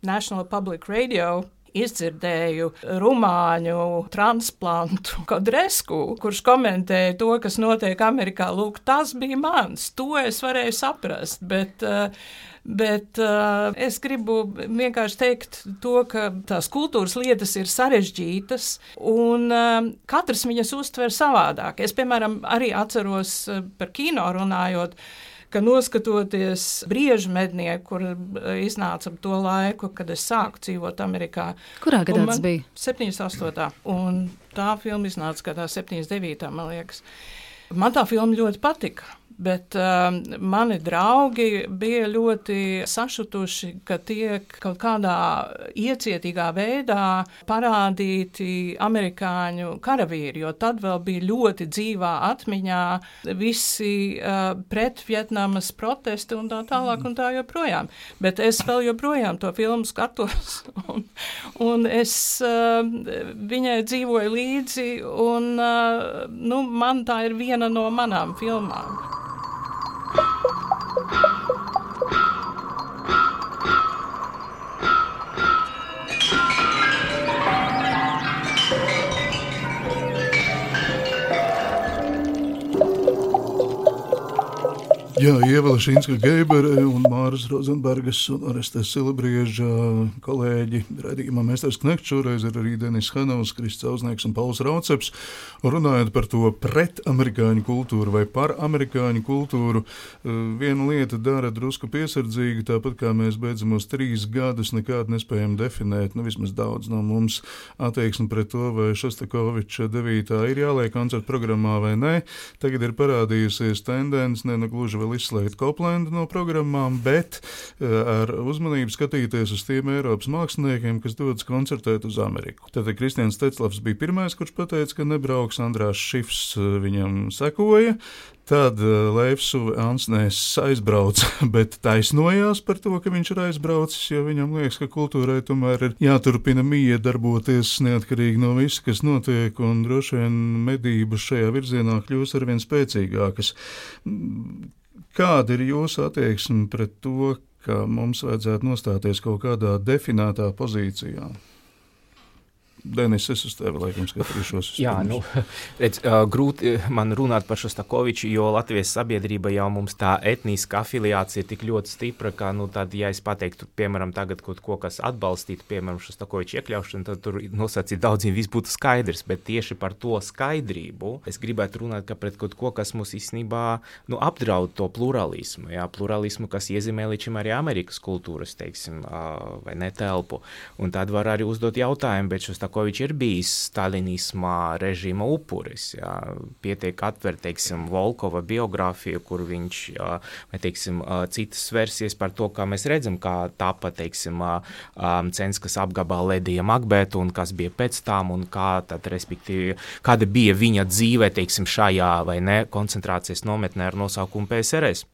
National Public Radio, izdzirdēju rumāņu transplantu Kodresku, kurš komentēja to, kas notiek Amerikā. Lūk, tas bija mans, to es varēju saprast, bet es gribu vienkārši teikt to, ka tās kultūras lietas ir sarežģītas un katrs viņas uztver savādāk. Es, piemēram, arī atceros par kino runājot, ka noskatoties Briežu mednieku, kur iznāca to laiku, kad es sāku dzīvot Amerikā. Kurā gadā tas bija? 78. Un tā filma iznāca gadā 79. man liekas. Man tā filma ļoti patika. Bet mani draugi bija ļoti sašutuši, ka tiek kaut kādā iecietīgā veidā parādīti amerikāņu karavīri, jo tad vēl bija ļoti dzīvā atmiņā visi pret Vietnamas protesti un tā tālāk un tā joprojām. Bet es vēl joprojām to filmu skatos un es viņai dzīvoju līdzi un man tā ir viena no manām filmām. Jā, Ieva Lešinska-Geibere un Māras Rozenbergas un Orestes Silabrieža kolēģi raidījumā Mesters Knekts, šoreiz ir arī Denis Hanovs, Krists Auznieks un Pauls Rauceps. Runājot par to pret amerikāņu kultūru vai par amerikāņu kultūru, viena lieta dara drusku piesardzīgi, tāpat kā mēs beidzamos 3 gadus nekād nespējam definēt, vismaz daudz no mums attieksmi pret to, vai Šostakoviča 9. ir jāliek koncertu programmā vai nē. Tagad ir parādījusies tendence, gluži vēl izslēgt Koplendu no programmām, bet ar uzmanību skatīties uz tiem Eiropas māksliniekiem, kas dodas koncertēt uz Ameriku. Tātad Kristians Teclavs bija pirmais, kurš pateica, ka nebrauks, Andrās Šifs viņam sekoja, tad Leifs Ansnēs aizbrauca, bet taisnojās par to, ka viņš ir aizbraucis, jo viņam liekas, ka kultūrai tomēr ir jāturpina darboties neatkarīgi no visa, kas notiek, un droši vien medības šajā virzienā kļūs arvien spēcīgākas. Kāda ir jūsu attieksme pret to, ka mums vajadzētu nostāties kaut kādā definētā pozīcijā? Denis, es uz tevi laikam skatīšos. Jā, redz, grūti man runāt par Šostakoviču, jo Latvijas sabiedrība jau mums tā etniska afiliācija ir tik ļoti stipra, ka, tad, ja es pateiktu, piemēram, tagad kaut ko, kas atbalstītu, piemēram, Šostakoviču iekļaušanu, tad tur nosacīt daudziem viss būtu skaidrs, bet tieši par to skaidrību es gribētu runāt, ka pret kaut ko, kas mums īstenībā, apdraud to pluralismu, pluralismu, kas iezīmē līdz šim arī Amerikas kultūras, teiksim, vai netelpu. Un tad var arī uzdot jautājumu, bet Šostakovičs ir bijis stalinismā režīma upuris. Pietiek atver, teiksim, Volkova biogrāfiju, kur viņš, vai, teiksim, citas versijas par to, kā mēs redzam, kā tapa, teiksim, Censkas apgabala Ledija Makbeta un kas bija pēc tām un kā tad, respektīvi, kāda bija viņa dzīve, teiksim, šajā vai ne koncentrācijas nometnē ar nosaukumu PSRS.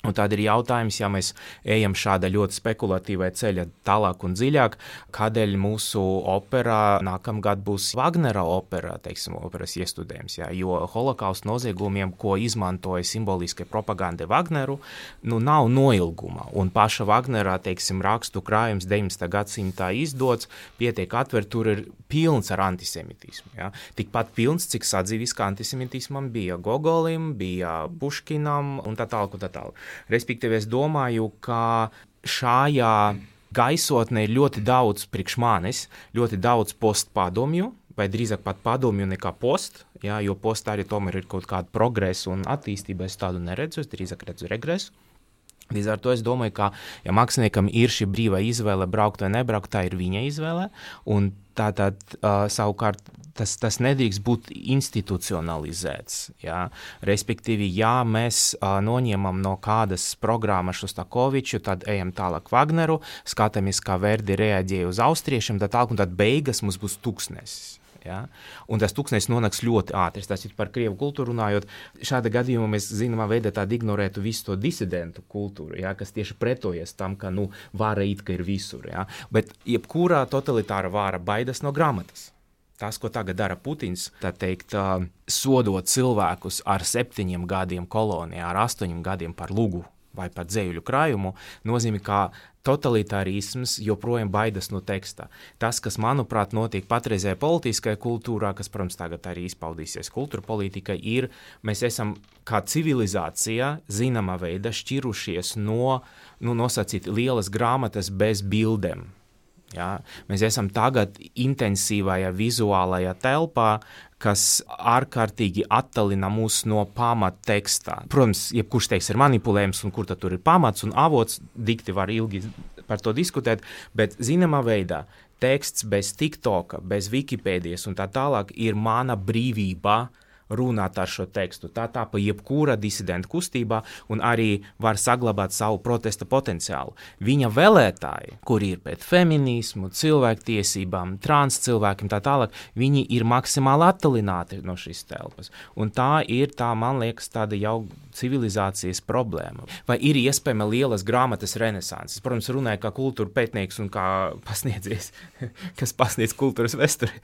Un tad ir jautājums, ja mēs ejam šāda ļoti spekulatīvai ceļa tālāk un dziļāk, kādēļ mūsu operā nākamgad būs Wagnera opera, teiksim, operas iestudējums, jo holokausta noziegumiem, ko izmantoja simboliskai propagandai Wagneru, nav noilguma. Un paša Wagnera, teiksim, rakstu krājums 19. gadsimtā izdots, pietiek atver, tur ir pilns ar antisemitismu. Tikpat pilns, cik sadzīviska antisemitismam bija Gogolim, bija Puškinam un tā tālāk un tā tālāk. Respektīvi, es domāju, ka šajā gaisotnē ir ļoti daudz priekš manis, ļoti daudz postpadomju, vai drīzāk pat padomju nekā post, jo post arī tomēr ir kaut kāda progresa un attīstība, es tādu neredzu, es drīzāk redzu regresu. Līdz ar to es domāju, ka, ja māksliniekam ir šī brīvā izvēle braukt vai nebraukt, tā ir viņa izvēle, un tātad savukārt tas nedrīkst būt institucionalizēts. Respektīvi, ja mēs noņemam no kādas programmas Šostakoviču, tad ejam tālāk Wagneru, skatāmies, kā Verdi reaģēja uz austriešiem, un tad beigas mums būs tūkstnesis. Un tas tūkstnesis nonāks ļoti ātri. Tas ir par krievu kultūru runājot. Šāda gadījumā mēs zināmā veidā tādu ignorētu visu to disidentu kultūru, kas tieši pretojas tam, ka vāra it kā ir visur. Bet jebkurā totalitāra vāra baidas no grāmatas. Tas, ko tagad dara Putins, tā teikt, sodot cilvēkus ar 7 gadiem kolonijā, ar 8 gadiem par lugu vai par dzējuļu krājumu, nozīmē, ka totalitārisms joprojām baidas no teksta. Tas, kas, manuprāt, notiek patreizējā politiskajā kultūrā, kas, protams, tagad arī izpaudīsies kultūra politika, ir, mēs esam kā civilizācija zināmā veidā šķirušies no, nosacīt lielas grāmatas bez bildēm. Mēs esam tagad intensīvajā vizuālajā telpā, kas ārkārtīgi attālina mūs no pamattekstā. Protams, jebkurš teksts ir manipulējums, un kur tad tur ir pamats un avots, dikti var ilgi par to diskutēt, bet zināmā veidā teksts bez TikToka, bez Wikipēdijas un tā tālāk ir mana brīvība runāt ar šo tekstu. Tā pa jebkura disidenta kustībā un arī var saglabāt savu protesta potenciālu. Viņa vēlētāji, kuri ir pēc feminismu, cilvēktiesībām, trans cilvēkiem tā tālāk, viņi ir maksimāli attalināti no šīs telpas. Un tā ir, man liekas, tāda jau civilizācijas problēma. Vai ir iespējama lielas grāmatas renesanses? Protams, runāju kā kultūra pētnieks un kā pasniedzies, kas pasniedz kultūras vēsturi,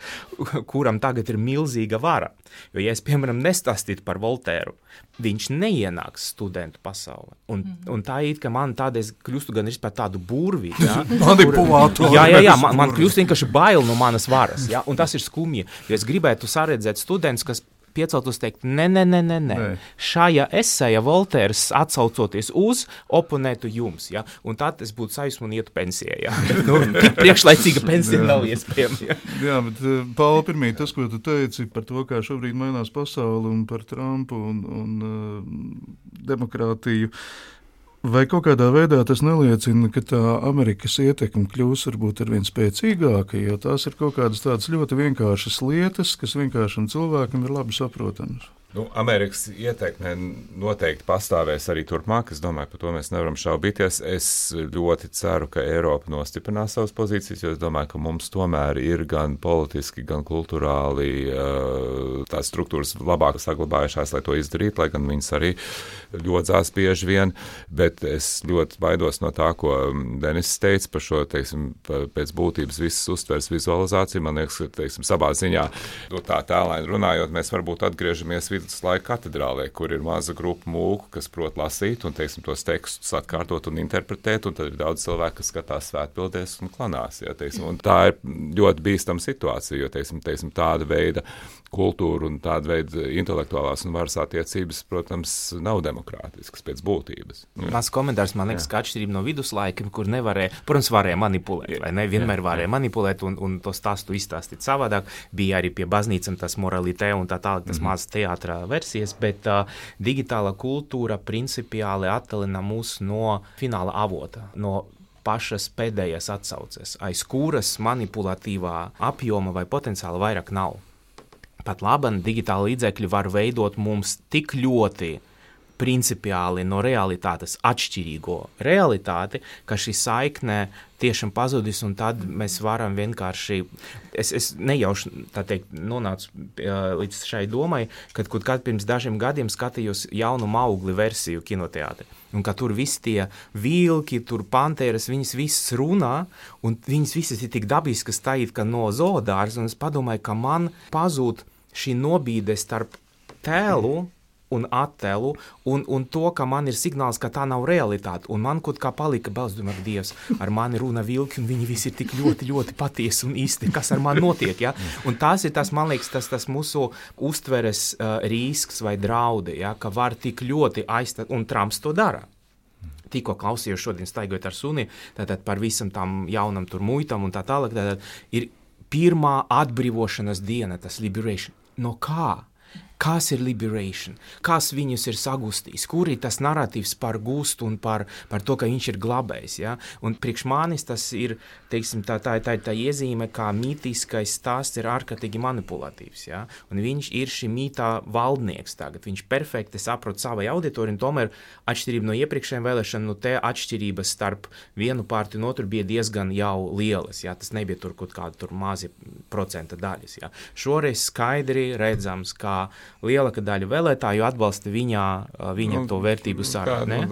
kuram tagad ir milzīga vara. Jo, ja es, piemēram, nestāstītu par Voltēru, viņš neienāks studentu pasaulē. Un tā ir, ka man tādēļ kļūstu gan par tādu burvi. Ja, manipulātoru. Jā, man kļūst vienkārši bail no manas varas. Ja, un tas ir skumji. Jo es gribētu saredzēt studentus, kas pieceltos teikt, nē. Šajā esēja Voltērs atsaucoties uz oponētu jums, ja? Un tad es būtu sajūsmu un ietu pensijā, ja? Tik priekšlaicīga pensija nav iespējama, ja? Jā, bet Paula, pirmīt, tas, ko tu teici par to, kā šobrīd mainās pasauli un par Trumpu un demokrātiju, vai kaut kādā veidā tas neliecina, ka tā Amerikas ietekme kļūs varbūt arvien spēcīgāka, jo tās ir kaut kādas tādas ļoti vienkāršas lietas, kas vienkāršam cilvēkam ir labi saprotamas? Amerikas ietekme noteikti pastāvēs arī turpmāk. Es domāju, par to mēs nevaram šaubīties. Es ļoti ceru, ka Eiropa nostiprinās savas pozīcijas, jo es domāju, ka mums tomēr ir gan politiski, gan kulturāli tās struktūras labāk saglabājušās, lai to izdarītu, lai gan viņas arī ļodzās bieži vien, bet es ļoti baidos no tā, ko Denis teica par šo, teiksim, pēc būtības visas uztveres vizualizāciju. Man liekas, ka, teiksim, savā ziņā, tā tēlaini runājot, mēs varbūt atgriežamies viduslaika katedrālē, kur ir maza grupa mūku, kas prot lasīt un, teiksim, tos tekstus atkārtot un interpretēt, un tad ir daudz cilvēku, kas skatās svētpildēs un klanās. Ja, teiksim, un tā ir ļoti bīstama situācija, jo, teiksim, tāda veida kultūra un tāda veida intelektuālās un varas attiecības, protams, nav demokrātiskas pēc būtības. Mans komentārs, man liekas, ka atšķirība no viduslaikiem, kur nevarēja, protams, varēja manipulēt, vai ne? Vienmēr varēja manipulēt un to stāstu izstāstīt savādāk. Bija arī pie baznīcam tas moralitē un tā tālāk, tas mazas teātra versijas, bet digitāla kultūra principiāli attalina mūs no fināla avota, no pašas pēdējās atsauces, aiz kuras manipulatīvā apjoma vai potenciāla vairāk nav. Pat labam digitāli līdzekļi var veidot mums tik ļoti principiāli no realitātes atšķirīgo realitāti, ka šī saikne tiešām pazudis, un tad mēs varam vienkārši, es nejauši, tā teikt, nonācu līdz šai domai, kad pirms dažiem gadiem skatījos jaunu Maugli versiju kinoteātri, un ka tur visi tie vilki, tur pantēras, viņas visas runā, un viņas visas ir tik dabiskas tā it kā no zoodārs, un es padomāju, ka man pazūd šī nobīde starp tēlu un attēlu, un to, ka man ir signāls, ka tā nav realitāte, un man kaut kā palika balss, domāju, Dievs, ar mani runa vilki, un viņi visi ir tik ļoti, ļoti patiesi un īsti, kas ar mani notiek, ja? Un tas ir tas, man liekas, tas mūsu uztveres risks vai draudi, ja? Ka var tik ļoti aizstāt, un Trumps to dara. Tikko klausījos šodien staigojot ar suni, tātad par visam tam jaunam tur muitam un tā tālāk, tātad ir pirmā atbrīvošanas diena, tas liberation. No kā? Kas ir liberation? Kas viņus ir sagustījis? Kur ir tas narratīvs par gustu un par to, ka viņš ir glabējis? Ja? Un priekš manis tas ir, teiksim, tā iezīme, kā mītiskais stāsts ir ārkārtīgi manipulatīvs. Ja? Un viņš ir šī mītā valdnieks tagad. Viņš perfekti saprot savai auditoriju, un tomēr atšķirība no iepriekšējiem vēlēšanām, te atšķirības starp vienu partiju un otru bija diezgan jau lielas. Ja? Tas nebija tur kaut kāda tur mazi procenta daļas. Ja? Šoreiz skaidri redzams, kā lielāka daļa vēlētāju atbalsta viņa to vērtību sarunu.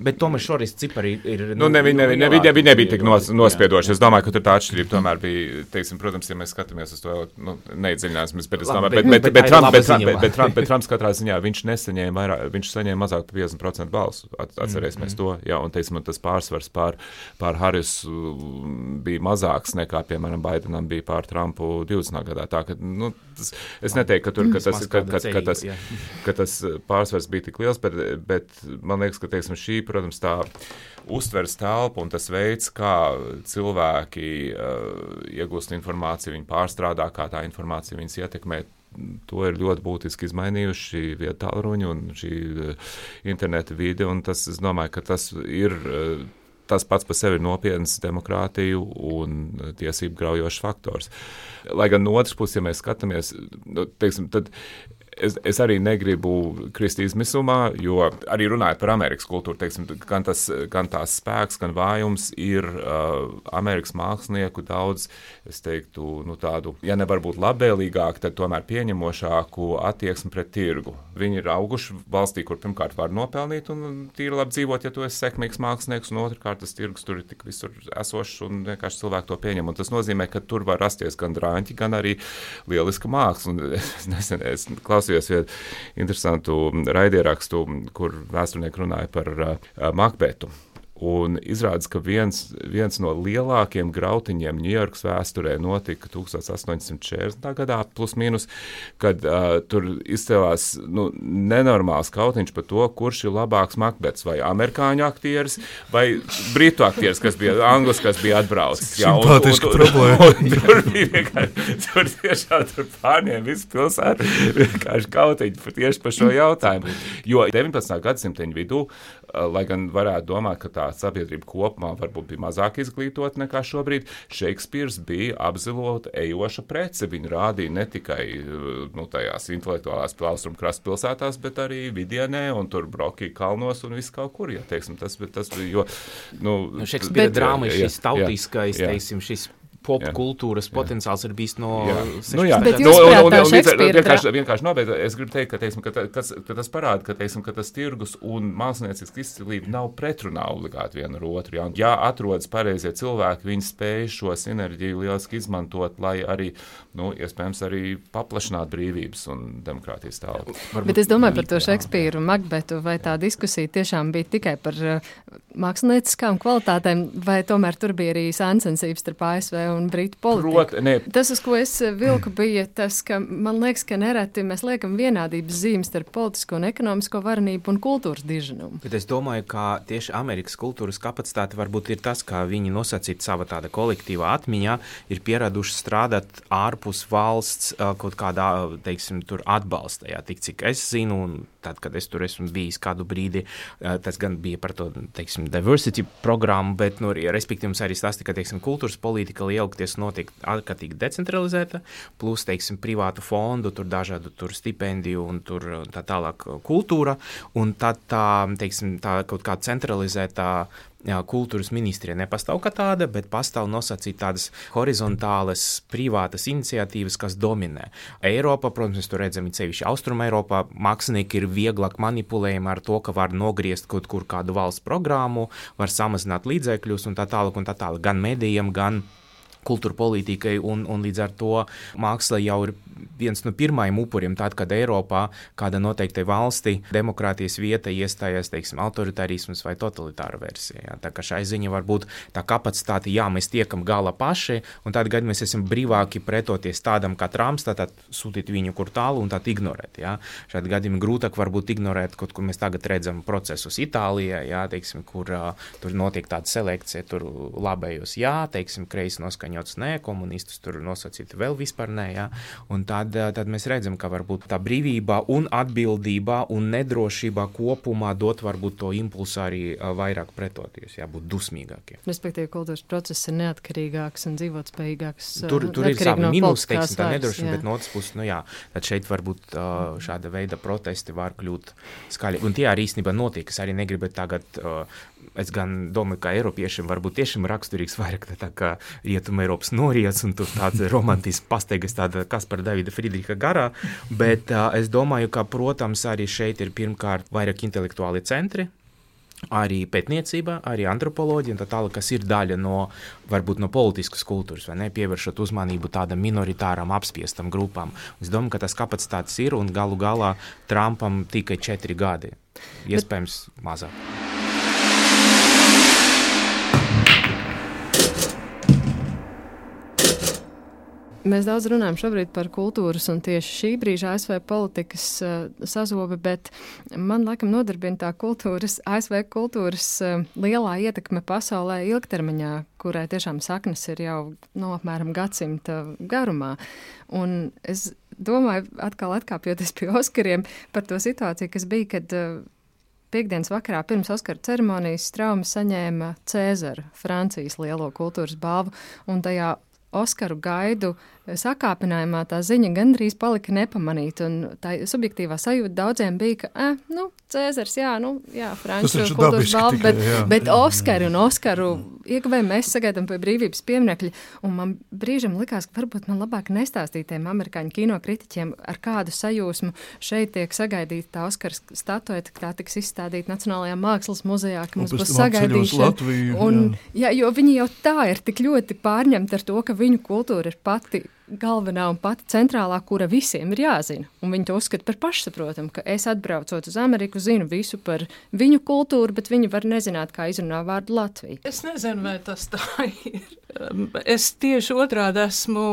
Bet tomēr šoreiz cipari ir... Viņi nebija tik nospiedoši. Es domāju, ka tur tā atšķirība tomēr bija, teiksim, protams, ja mēs skatāmies uz to, neiedziļināsimies, bet Trumps katrā ziņā, viņš saņēma mazāk par 50% balsu. Atcerēsimies to, jā, un, teiksim, tas pārsvars pār Harisu bija mazāks nekā, piemēram, Bidenam bija pār Trumpu 20. gadā. Tā, ka, es neteiktu, ka tas pārsvars bija tik liels, bet man liekas, ka, teiksim, šī, protams, tā uztveres telpa un tas veids, kā cilvēki iegūst informāciju, viņi pārstrādā, kā tā informācija viņus ietekmē, to ir ļoti būtiski izmainījuši viedtālruņi un šī interneta vide, un tas, es domāju, ka tas ir... Tas pats par sevi ir nopietns demokrātiju un tiesību graujošs faktors. Lai gan no otras puses, ja mēs skatāmies, teiksim, tad Es arī negribu krist izmisumā, jo arī runājot par Amerikas kultūru, teiksim, gan tās spēks, gan vājums ir Amerikas mākslinieku daudz, es teiktu, tādu, ja nevar būt labvēlīgāk, tad tomēr pieņemošāku attieksmi pret tirgu. Viņi ir auguši valstī, kur pirmkārt var nopelnīt un tīri labi dzīvot, ja tu esi sekmīgs mākslinieks, un otrkārt tas tirgus tur ir tik visur esošs un vienkārši cilvēki to pieņem. Un tas nozīmē, ka tur var rasties gan drāņķi, gan arī lieliska māksla. Un es klausījos vienu interesantu raidierakstu, kur vēsturnieki runāja par Makbetu. Un izrādās, ka viens no lielākiem grautiņiem Ņujorkas vēsturē notika 1840. gadā, plus mīnus, kad tur izcēlās nenormāls kautiņš par to, kurš ir labāks Makbets, vai amerikāņu aktieris, vai britu aktieris, kas bija anglis, kas bija atbraucis. Simpātiska problēma. Tur bija vienkārši, tur pārņēma visu pilsētu, vienkārši kautiņu tieši par šo jautājumu. Jo 19. gadsimteņu vidū, lai gan varētu domāt, ka tā sabiedrība kopumā varbūt bija mazāk izglītota nekā šobrīd, Šekspīrs bija apzilota ejoša prece. Viņu rādīja ne tikai tajās intelektuālās austrumu krasta pilsētās, bet arī Vidienē un tur Brokī kalnos un viss kaut kur. Ja, teiksim, tas bija, jo... Šekspīra drāma ir šis tautiskais, teiksim, šis popkultūras potenciāls ir bijis no 60. Bet jūs prātā Šekspīra vienkārši nobeidz, es gribu teikt, ka, teiksim, ka tas parāda, ka tas tirgus un māksliniecisks izcilība nav pretrunā obligāti viena ar otru. Ja atrodas pareizie cilvēki, viņi spēj šo sinerģiju lieliski izmantot, lai arī, iespējams, arī paplašināt brīvības un demokrātijas telpu. Bet es domāju par to Šekspīru un Makbetu, vai tā diskusija tiešām bija tikai par mākslinieckām kvalitātēm, vai tomēr tur bija arī sāncensības starp ASV un Britu politiku. Tas, uz ko es vilku, bija tas, ka man liekas, ka nereti mēs liekam vienādības zīmes starp politisko un ekonomisko varenību un kultūras diženumu. Bet es domāju, ka tieši Amerikas kultūras kapacitāte varbūt ir tas, ka viņi nosacīt sava tāda kolektīvā atmiņā, ir pieraduši strādāt ārpus valsts kaut kādā, teiksim, tur atbalsta. Jā, tik cik es zinu, un tad, kad es tur esmu bijis kādu brīdi, tas gan bija par to, teiksim, diversity programmu, bet, respektīvi, mums arī stāsti, ka, teiksim, kultūras politika lielākoties notiek ārkārtīgi decentralizēta, plus, teiksim, privātu fondu, tur dažādu tur stipendiju un tur tā tālāk kultūra, un tad tā, teiksim, tā kaut kā centralizētā kultūras ministrija nepastāv kā tāda, bet pastāv nosacīt tādas horizontālas privātas iniciatīvas, kas dominē. Eiropa, protams, mēs tur redzam, sevišķi Austruma Eiropā, mākslinieki ir vieglāk manipulējami ar to, ka var nogriezt kaut kur kādu valsts programmu, var samazināt līdzekļus un tā tālāk, gan medijiem, gan kultūra politikai, un līdz ar to māksla jau ir viens no pirmajiem upuriem, tad, kad Eiropā kāda noteiktai valsti demokrātijas vieta iestājās, teiksim, autoritarisms vai totalitāra versija. Jā. Tā kā šai ziņa var būt tā kapacitāte, mēs tiekam gala paši, un tad, kad mēs esam brīvāki pretoties tādam kā Trumps, tad sūtīt viņu kur tālu un tad ignorēt. Jā. Šādi gadījumi grūtāk varbūt ignorēt, kaut kur mēs tagad redzam procesus Itālijā, teiksim, kur tur notiek tāda selekcija, tur labējos, teiksim, kreisi noskaņots nē, komunistus tur nosacīti vēl vispār nē, un tad mēs redzam, ka varbūt tā brīvība un atbildība un nedrošība kopumā dot varbūt to impulsu arī vairāk pretoties, būt dusmīgākiem. Respektīvi, kultūras process ir neatkarīgāks un dzīvotspējīgāks. Tur ir savi mīnus, teiksim, tā nedrošība, bet no otras puses, tad šeit varbūt šāda veida protesti var kļūt skaļi. Un tie arī īstenībā notiek, es arī negribu tagad, es gan domāju, ka Eiropiešiem varbūt tiešām raksturīgs vairāk tā kā Rietuma Eiropas noriets un tur tāds romantisks pasteigas tāda Kaspara Davida Friedricha garā, bet es domāju, ka, protams, arī šeit ir pirmkārt vairāk intelektuāli centri, arī pētniecība, arī antropoloģija un tā tālāk, kas ir daļa no, varbūt no politiskas kultūras, vai ne, pievēršot uzmanību tādam minoritāram apspiestam grupām. Es domāju, ka tas kapacitātes ir un galu galā Trumpam tikai 4 gadi, iespējams mazāk. Mēs daudz runājam šobrīd par kultūras un tieši šī brīža ASV politikas sazobe, bet man laikam nodarbina tā ASV kultūras lielā ietekme pasaulē ilgtermiņā, kurai tiešām saknes ir jau apmēram gadsimta garumā. Un es domāju, atkal atkāpjoties pie Oskariem, par to situāciju, kas bija, kad piektdienas vakarā pirms Oskaru ceremonijas Straume saņēma Cēzara, Francijas lielo kultūras balvu, un tajā Oskaru gaidu sakāpinājumā tā ziņa gandrīz palika nepamanīta, un tā subjektīvā sajūta daudziem bija, ka, Cēzars, Franču kultūras balva, bet Oskaru ieguvēju mēs sagaidām pie brīvības pieminekļa, un man brīžam likās, ka varbūt man labāk nestāstīt tiem amerikāņu kino kritiķiem, ar kādu sajūsmu šeit tiek sagaidīta tā Oskara statueta, ka tā tiks izstādīta Nacionālajā mākslas muzejā, ka mums būs sagaidīšana. Jo viņi jau tā ir tik ļoti pārņemti ar to, ka viņu kultūra ir pati galvenā un pati centrālā, kura visiem ir jāzina. Un viņi to uzskata par pašsaprotamu, ka es atbraucot uz Ameriku, zinu visu par viņu kultūru, bet viņi var nezināt, kā izrunā vārdu Latvija. Es nezinu, vai tas tā ir. Es tieši otrādi esmu,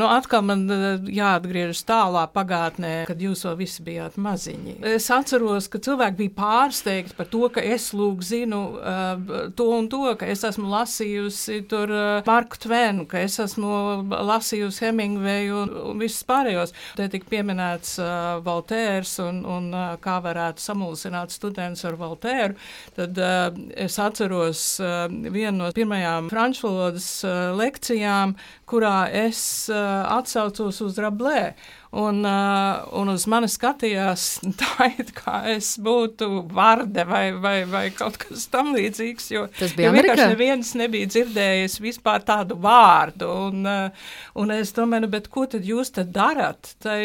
atkal man jāatgriežas tālā pagātnē, kad jūs vēl visi bijāt maziņi. Es atceros, ka cilvēki bija pārsteigti par to, ka es lūk zinu to un to, ka es esmu lasījusi tur Marku Tvenu, ka es esmu lasījusi Hemingveju un visus pārējos. Te tika pieminēts Voltērs un kā varētu samulsināt students ar Voltēru. Tad es atceros vienu no pirmajām franču valodas lekcijām, kurā es atsaucos uz Rabelais. Un uz mani skatījās tā, it kā es būtu Varde vai kaut kas tam līdzīgs, jo vienkārši neviens nebija dzirdējis vispār tādu vārdu. Un es domāju, bet ko tad jūs tad darat? Tai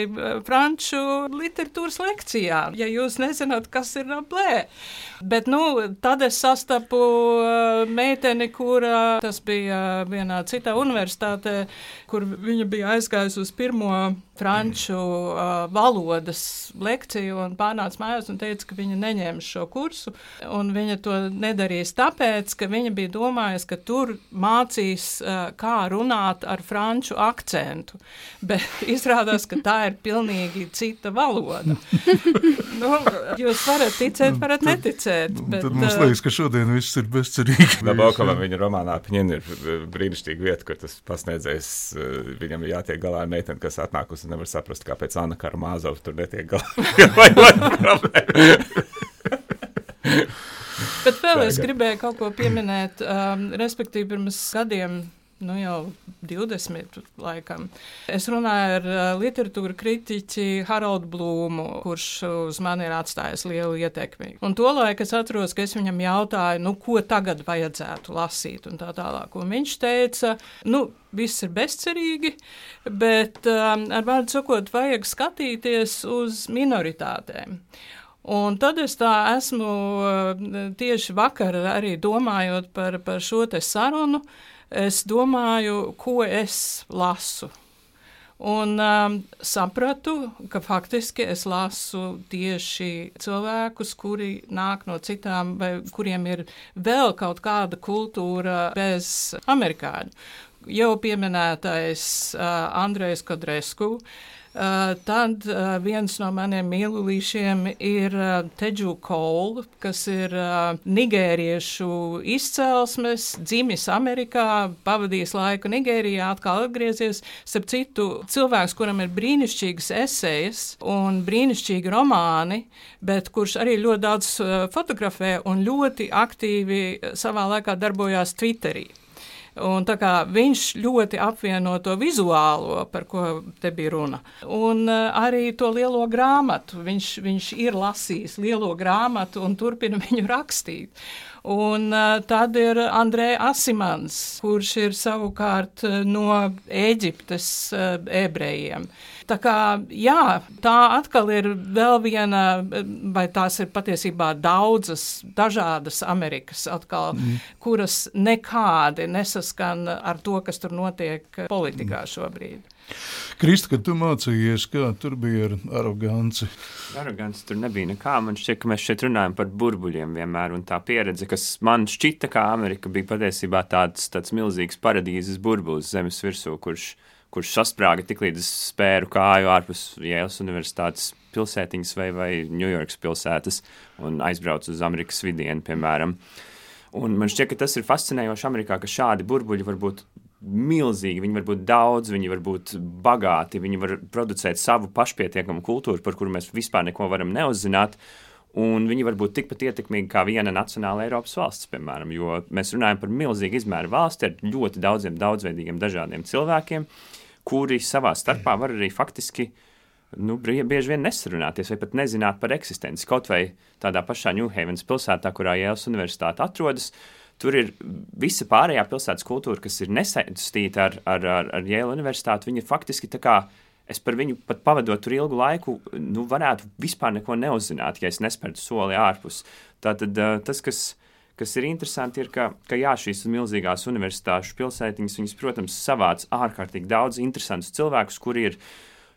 franču literatūras lekcijā, ja jūs nezināt, kas ir Rabelais. Bet, tad es sastapu meiteni, kura tas bija vienā citā universitātē, kur viņa bija aizgājusi uz pirmo franču valodas lekciju un pārnāca mājās un teica, ka viņa neņēma šo kursu, un viņa to nedarīs tāpēc, ka viņa bija domājusi, ka tur mācīs, kā runāt ar franču akcentu, bet izrādās, ka tā ir pilnīgi cita valoda. Jūs varat ticēt, varat neticēt. Bet, tad mums liekas, ka šodien viss ir bezcerīgi. Nabokovam viņa romānā Pņina ir brīnišķīga vieta, kur tas pasniedzējs, viņam ir jātiek galā ar meiteni, kas atnākusi un nevar saprast, kāpēc Anna Karamāzova tur netiek galā. Bet vēl es gribēju kaut ko pieminēt, respektīvi pirms gadiem, jau 20 laikam. Es runāju ar literatūra kritiķi Haroldu Blūmu, kurš uz mani ir atstājis lielu ietekmi. Un tolaik es atceros, ka es viņam jautāju, ko tagad vajadzētu lasīt un tā tālāk. Un viņš teica, viss ir bezcerīgi, bet ar vārdu sakot, vajag skatīties uz minoritātēm. Un tad es tā esmu tieši vakar arī domājot par šo te sarunu, es domāju, ko es lasu. Un sapratu, ka faktiski es lasu tieši cilvēkus, kuri nāk no citām, vai kuriem ir vēl kaut kāda kultūra bez amerikāņu. Jau pieminētais Andrejs Kodresku. Tad viens no maniem mīlulīšiem ir Teju Cole, kas ir nigēriešu izcelsmes, dzimis Amerikā, pavadījis laiku Nigērijā, atkal atgriezies. Starp citu, cilvēks, kuram ir brīnišķīgas esejas un brīnišķīgi romāni, bet kurš arī ļoti daudz fotografē un ļoti aktīvi savā laikā darbojās Twitterī. Un tā kā viņš ļoti apvieno to vizuālo, par ko te bija runa, un arī to lielo grāmatu. Viņš ir lasījis lielo grāmatu un turpina viņu rakstīt. Un tad ir Andrē Asimans, kurš ir savukārt no Ēģiptes ebrejiem. Tā kā, tā atkal ir vēl viena, vai tās ir patiesībā daudzas dažādas Amerikas atkal, kuras nekādi nesaskan ar to, kas tur notiek politikā šobrīd. Krista, kad tu mācījies, kā tur bija ar aroganci? Aroganci tur nebija nekā. Man šķiet, ka mēs šeit runājam par burbuļiem vienmēr, un tā pieredze, kas man šķita, kā Amerika bija patiesībā tāds milzīgs paradīzes burbulis zemes virsū, kurš sasprāga tiklīdz es spēru kāju ārpus Jēlas universitātes pilsētiņas vai Ņujorkas pilsētas un aizbraucu uz Amerikas vidienu, piemēram. Un man šķiet, ka tas ir fascinējoši Amerikā, ka šādi burbuļi var būt milzīgi, viņi var būt daudz, viņi var būt bagāti, viņi var producēt savu pašpietiekamu kultūru, par kuru mēs vispār neko varam neuzzināt. un viņi var būt tikpat ietekmīgi kā viena nacionāla Eiropas valsts, piemēram, jo mēs runājam par milzīgu izmēru valsti ar ļoti daudziem daudzveidīgiem dažādiem cilvēkiem, kuri savā starpā var arī faktiski bieži vien nesarunāties vai pat nezināt par eksistenci. Kaut vai tādā pašā New Havens pilsētā, kurā Jēlas universitāte atrodas, tur ir visa pārējā pilsētas kultūra, kas ir nesaistīta ar Jēla universitāti, viņa faktiski tā kā es par viņu pat pavadot tur ilgu laiku, varētu vispār neko neuzzināt, ja es nespērtu soli ārpus. Tātad tas, kas ir interesanti, ir, ka jā, šīs milzīgās universitāšu pilsētiņas, viņas, protams, savāc ārkārtīgi daudz interesantus cilvēkus, kuri ir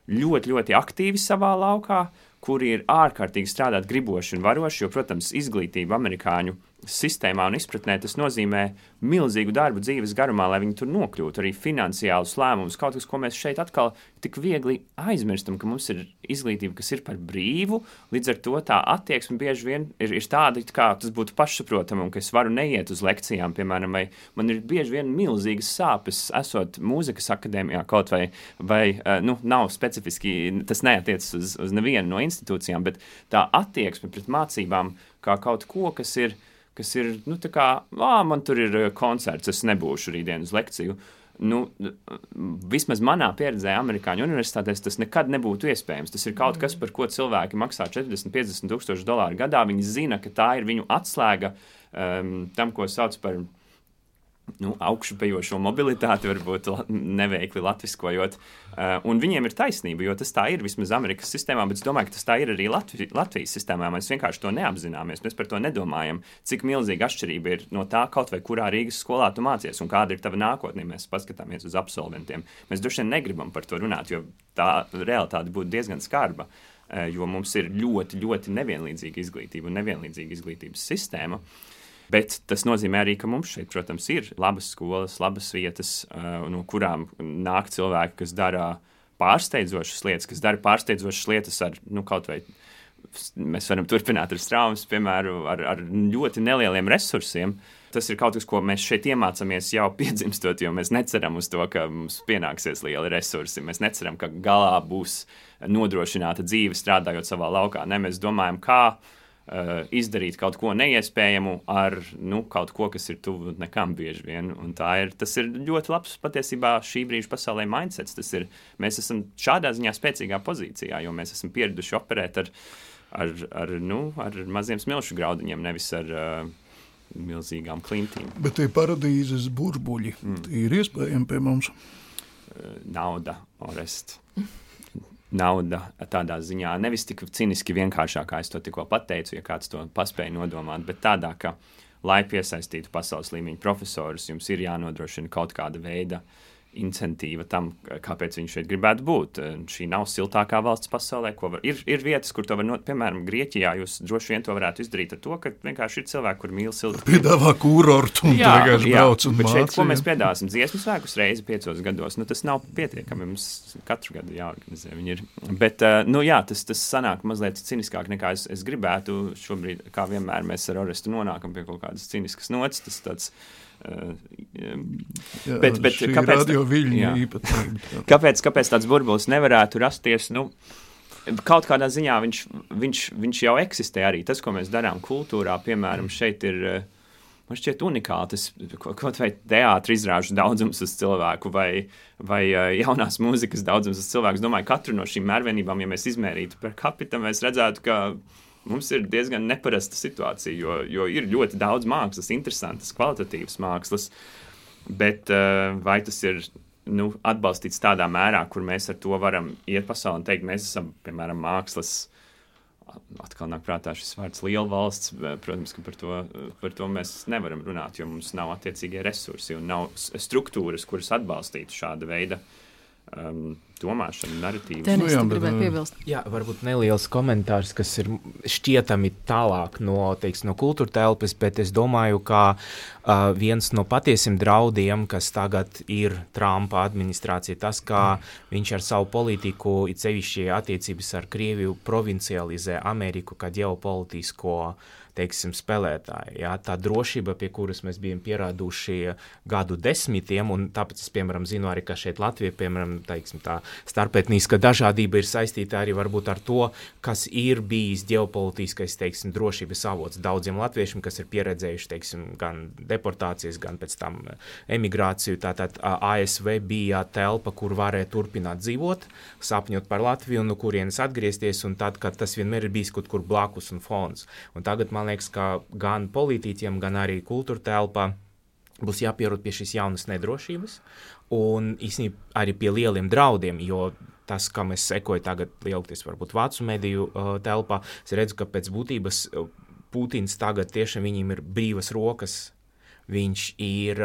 ļoti, ļoti aktīvi savā laukā, kuri ir ārkārtīgi strādāt griboši un varoši, jo, protams, izglītība amerikāņu sistēmā un izpratnē tas nozīmē milzīgu darbu dzīves garumā, lai viņi tur nokļūtu, arī finansiālus lēmumus, kaut kas, ko mēs šeit atkal tik viegli aizmirstam, ka mums ir izglītība, kas ir par brīvu, līdz ar to tā attieksme bieži vien ir tāda, kā tas būtu pašsaprotami, un ka es varu neiet uz lekcijām, piemēram, vai man ir bieži vien milzīgas sāpes, esot mūzikas akadēmijā kaut vai nav specifiski, tas neatiecas uz nevienu no institūcijām, bet tā attieksme pret mācībām kā kaut ko, kas ir tā kā, man tur ir koncerts, es nebūšu rītdien uz lekciju. Vismaz manā pieredzē Amerikāņu universitātēs tas nekad nebūtu iespējams. Tas ir kaut kas, par ko cilvēki maksā $40-50 tūkstoši gadā. Viņi zina, ka tā ir viņu atslēga tam, ko sauc par augšupejošo mobilitāti, varbūt neveikli latviskojot. Un viņiem ir taisnība, jo tas tā ir vismaz Amerikas sistēmā, bet es domāju, ka tas tā ir arī Latvijas sistēmā. Mēs vienkārši to neapzināmies, mēs par to nedomājam, cik milzīga atšķirība ir no tā kaut vai kurā Rīgas skolā tu mācies un kāda ir tava nākotnē. Mēs paskatāmies uz absolventiem. Mēs droši vien negribam par to runāt, jo tā realitāte būtu diezgan skarba, jo mums ir ļoti, ļoti nevienlīdzīga izglītība un nevienlīdzīga izglītības sistēma. Bet tas nozīmē arī, ka mums šeit, protams, ir labas skolas, labas vietas, no kurām nāk cilvēki, kas dara pārsteidzošas lietas ar, kaut vai mēs varam turpināt ar Straumes, piemēram, ar ļoti nelieliem resursiem. Tas ir kaut kas, ko mēs šeit iemācāmies jau piedzimstot, jo mēs neceram uz to, ka mums pienāksies lieli resursi. Mēs neceram, ka galā būs nodrošināta dzīve strādājot savā laukā. Ne, mēs domājam, kā izdarīt kaut ko neiespējamu ar kaut ko, kas ir tuvu nekam bieži vien. Un tas ir ļoti labs patiesībā šī brīža pasaulē mindsets. Mēs esam šādā ziņā spēcīgā pozīcijā, jo mēs esam pieraduši operēt ar maziem smilšu graudiņiem, nevis ar milzīgām klintīm. Bet tie paradīzes burbuļi ir iespējami pie mums? Nauda, Orest. Nauda tādā ziņā, nevis tik ciniski vienkāršā, kā es to tikko pateicu, ja kāds to paspēja nodomāt, bet tādā, ka, lai piesaistītu pasaules līmeņa profesorus, jums ir jānodrošina kaut kāda veida incentīva tam, kāpēc viņš šeit gribētu būt. Šī nav siltākā valsts pasaulē, ir vietas, kur to var piemēram, Grieķijā jūs droši vien to varētu izdarīt ar to, ka vienkārši ir cilvēki, kur mīl siltu. Piedāvā kūrortu un vienkārši brauc un bet māca. Šeit, ko mēs piedāvāsim dziesmu svēkus reizi 5 gados, tas nav pietiekami, mums katru gadu jāorganizē viņi ir. Bet, tas sanāk mazliet ciniskāk nekā es gribētu. Šobrīd, kā vienmēr, mēs ar Orestu nonākam pie kaut kādas ciniskas nots, tas tāds bet kāpēc tāds burbulis nevarētu rasties? Kaut kādā ziņā viņš jau eksistē arī. Tas, ko mēs darām kultūrā, piemēram, šeit ir, man šķiet unikāli, tas kaut vai teātra izrāžu daudzums uz cilvēku vai jaunās mūzikas daudzums uz cilvēku. Es domāju, katru no šīm mērvienībām, ja mēs izmērītu per capita, mēs redzētu, ka mums ir diezgan neparasta situācija, jo ir ļoti daudz mākslas, interesantas, kvalitatīvas mākslas, bet vai tas ir atbalstīts tādā mērā, kur mēs ar to varam iet pasaulē un teikt, mēs esam, piemēram, mākslas, atkal nāk prātā šis vārds liela valsts, protams, ka par to mēs nevaram runāt, jo mums nav attiecīgie resursi un nav struktūras, kuras atbalstītu šāda veida domāšanu, narratīvas. Tenis, tu gribēji piebilst? Jā, varbūt neliels komentārs, kas ir šķietami tālāk no kultūra telpas, bet es domāju, ka viens no patiesiem draudiem, kas tagad ir Trumpa administrācija, tas, ka viņš ar savu politiku, it sevišķi attiecības ar Krieviju, provincializē Ameriku kā ģeopolitisko teiksim, spēlētāji. Jā, tā drošība, pie kuras mēs bijām pierāduši gadu desmitiem, un tāpēc es, piemēram, zinu arī, ka šeit Latvija, piemēram, teiksim, tā starpetniska dažādība ir saistīta arī varbūt ar to, kas ir bijis ģeopolitiskais, teiksim, drošības avots daudziem latviešiem, kas ir pieredzējuši, teiksim, gan deportācijas, gan pēc tam emigrāciju. Tātad ASV bija telpa, kur varēja turpināt dzīvot, sapņot par Latviju, un no kurienes atgriezties, un tad, kad tas vienmēr ir bijis kaut kur blakus un fons. Un tagad, man liekas, ka gan politiķiem, gan arī kultūra telpā būs jāpierod pie šīs jaunas nedrošības, un īstenībā arī pie lieliem draudiem, jo tas, kam es sekoju tagad lielākoties varbūt vācu mediju telpā, es redzu, ka pēc būtības Putins tagad tiešām viņam ir brīvas rokas. Viņš ir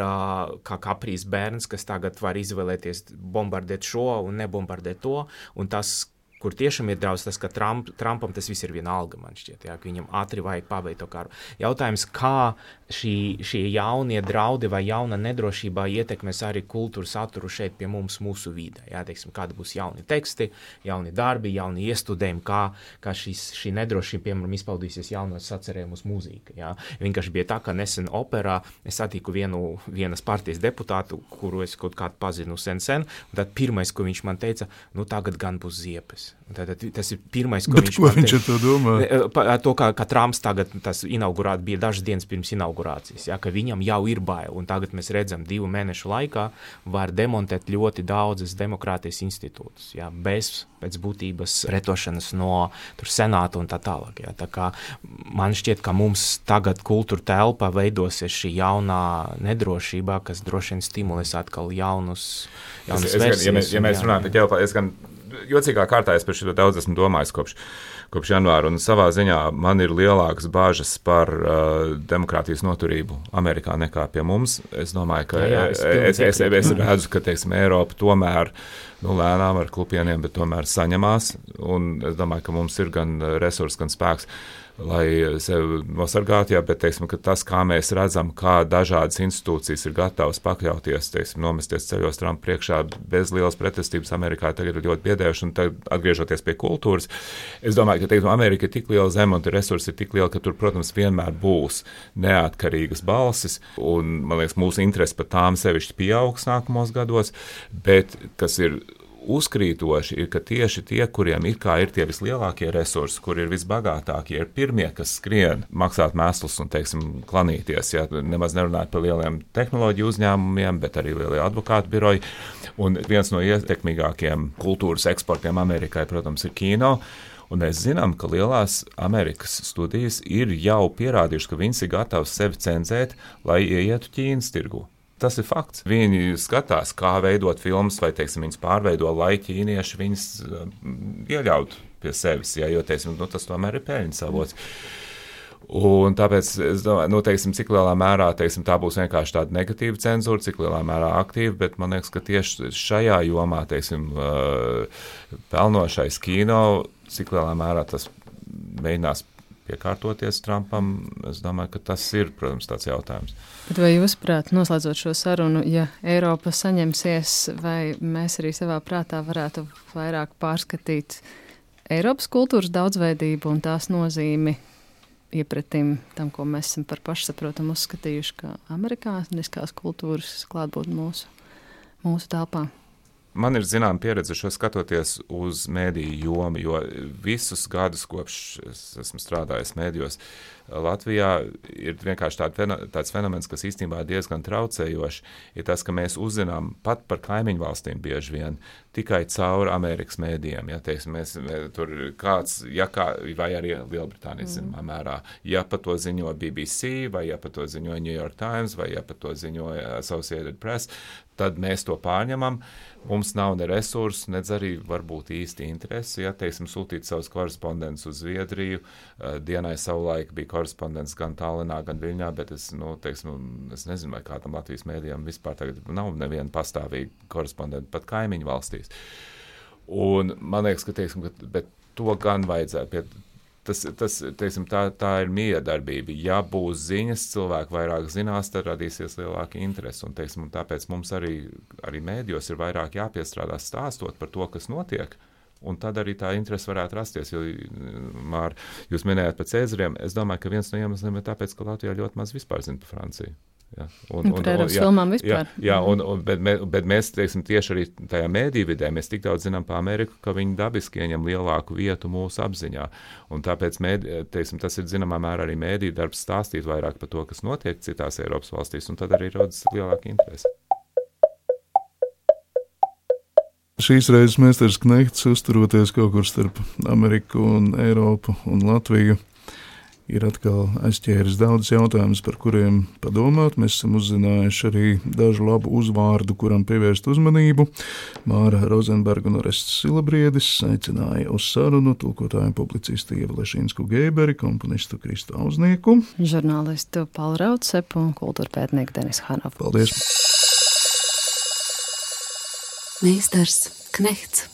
kā kaprīs bērns, kas tagad var izvēlēties bombardēt šo un nebombardēt to, un tas, kur tiešām ir draudz, tas, ka Trumpam tas viss ir vienalga, man šķiet, jā, ka viņam ātri vajag pabeigt to karu. Jautājums, kā šie jaunie draudi vai jauna nedrošībā ietekmēs arī kultūras saturu šeit pie mums, mūsu vidē. Jā, teiksim, kādi būs jauni teksti, jauni darbi, jauni iestudējumi, kā šī nedrošība, piemēram, izpaudīsies jaunos sacerējumus mūzika. Jā. Vienkārši bija tā, ka nesen operā es satiku vienas partijas deputātu, kuru es kaut kādu pazinu sen, un tad pirmais, ko viņš man teica, tagad gan būs ziepes. Tātad tas ir pirmais, ko viņš man teica. Viņš ar to domā? To, ka Trumps tagad, tas bija dažas dienas pirms inaugurācijas, ja, ka viņam jau ir bail, un tagad mēs redzam 2 mēnešu laikā var demontēt ļoti daudzas demokrātijas institūtus, ja, pēc būtības pretošanas no senāta un tā tālāk. Ja. Tā kā man šķiet, ka mums tagad kultūra telpa veidosies šī jaunā nedrošībā, kas droši vien stimulēs atkal jaunas versijas. Ja mēs runājam par ģeopolitiku, es gan jocīgā kārtā es par šo daudz esmu domājis kopš janvāra, un savā ziņā man ir lielākas bāžas par demokrātijas noturību Amerikā nekā pie mums. Es domāju, ka es redzu, ka, teiksim, Eiropa tomēr lēnām ar klupieniem, bet tomēr saņemās, un es domāju, ka mums ir gan resursi, gan spēks, lai sevi nosargātu, bet teiksim, ka tas, kā mēs redzam, kā dažādas institūcijas ir gatavas pakļauties, teiksim, nomesties ceļos Trumpa priekšā bez lielas pretestības Amerikā, tagad ir ļoti biedējuši, un tagad atgriežoties pie kultūras, es domāju, ka teiksim, Amerika ir tik liela zeme, un resursi ir tik liela, ka tur, protams, vienmēr būs neatkarīgas balsis, un, man liekas, mūsu interesi par tām sevišķi pieaugs nākamos gados, bet kas ir uzkrītoši ir, ka tieši tie, kuriem ir tie vislielākie resursi, kur ir visbagātākie, ir pirmie, kas skrien maksāt mēslus un, teiksim, klanīties. Ja, nemaz nerunāt par lieliem tehnoloģiju uzņēmumiem, bet arī lielie advokātu biroji. Un viens no ietekmīgākiem kultūras eksportiem Amerikai, protams, ir kino. Un mēs zinām, ka lielās Amerikas studijas ir jau pierādījuši, ka viņas ir gatavas sevi cenzēt, lai ieietu Ķīnas tirgu. Tas ir fakts. Viņi skatās, kā veidot filmas, vai, teiksim, viņas pārveido, lai ķīnieši viņas ieļautu pie sevis, ja, jo, teiksim, tas tomēr ir peļņas avots. Un tāpēc es domāju, teiksim, cik lielā mērā, teiksim, tā būs vienkārši tāda negatīva cenzūra, cik lielā mērā aktīva, bet man liekas, ka tieši šajā jomā, teiksim, pelnošais kino, cik lielā mērā tas mēģinās piekārtoties Trumpam, es domāju, ka tas ir, protams, tāds jautājums. Bet vai jūs, prāt, noslēdzot šo sarunu, ja Eiropa saņemsies, vai mēs arī savā prātā varētu vairāk pārskatīt Eiropas kultūras daudzveidību un tās nozīmi iepratim tam, ko mēs esam par pašsaprotamu uzskatījuši, kā amerikāniskās kultūras klātbūt mūsu telpā? Man ir zināma pieredze šo skatoties uz mēdīju jomu, jo visus gadus, kopš es esmu strādājis mēdījos, Latvijā ir vienkārši tāds fenomens, kas īstenībā diezgan traucējoši, ir tas, ka mēs uzzinām pat par kaimiņu valstīm bieži vien tikai caur Amerikas mēdījiem. Ja, teiksim, mēs tur kāds, vai arī Lielbritānijas zināmā mērā, ja par to ziņo BBC, vai ja par to ziņoja New York Times, vai ja par to ziņoja Associated Press, tad mēs to pārņemam. Mums nav ne resursu, nedz arī varbūt īsti interesi, ja, teiksim, sūtīt savus korespondentus uz Zviedriju. Dienai savulaik bija korespondents gan Tallinā, gan Viļņā, bet es nezinu, vai kādam Latvijas mēdījam vispār tagad nav neviena pastāvīga korespondenta pat kaimiņu valstīs. Un man liekas, ka, teiksim, bet to gan vajadzētu. Teiksim, tā ir miedarbība. Ja būs ziņas, cilvēki vairāk zinās, tad radīsies lielāka interese. Un, teiksim, tāpēc mums arī mēdījos ir vairāk jāpiestrādā stāstot par to, kas notiek Un tad arī tā interese varētu rasties, jo, Māra, jūs minējāt par Cēzariem. Es domāju, ka viens no iemesliem ir tāpēc, ka Latvijā ļoti maz vispār zina par Franciju. Ja, par Eiropas filmām vispār. Bet mēs, teiksim, tieši arī tajā mēdīvidē, mēs tik daudz zinām par Ameriku, ka viņi dabiski ieņem lielāku vietu mūsu apziņā. Un tāpēc, teiksim, tas ir zināmā mērā arī mēdī darbs stāstīt vairāk par to, kas notiek citās Eiropas valstīs, un tad arī rodas lielāka interese. Šīs reizes Meistars Knehts, uzturoties kaut kur starp Ameriku un Eiropu un Latviju, ir atkal aizķēris daudz jautājumus, par kuriem padomāt. Mēs esam uzzinājuši arī dažu labu uzvārdu, kuram pievērst uzmanību. Māra Rozenberga un Orests Silabriedis aicināja uz sarunu tulkotāju publicistu Ievu Lešīnsku Geiberi, komponistu Kristu Auznieku, žurnālistu Paulu Raudsepu un kultūrpētnieku Denisu Hanovu. Paldies! Meistars Knehts.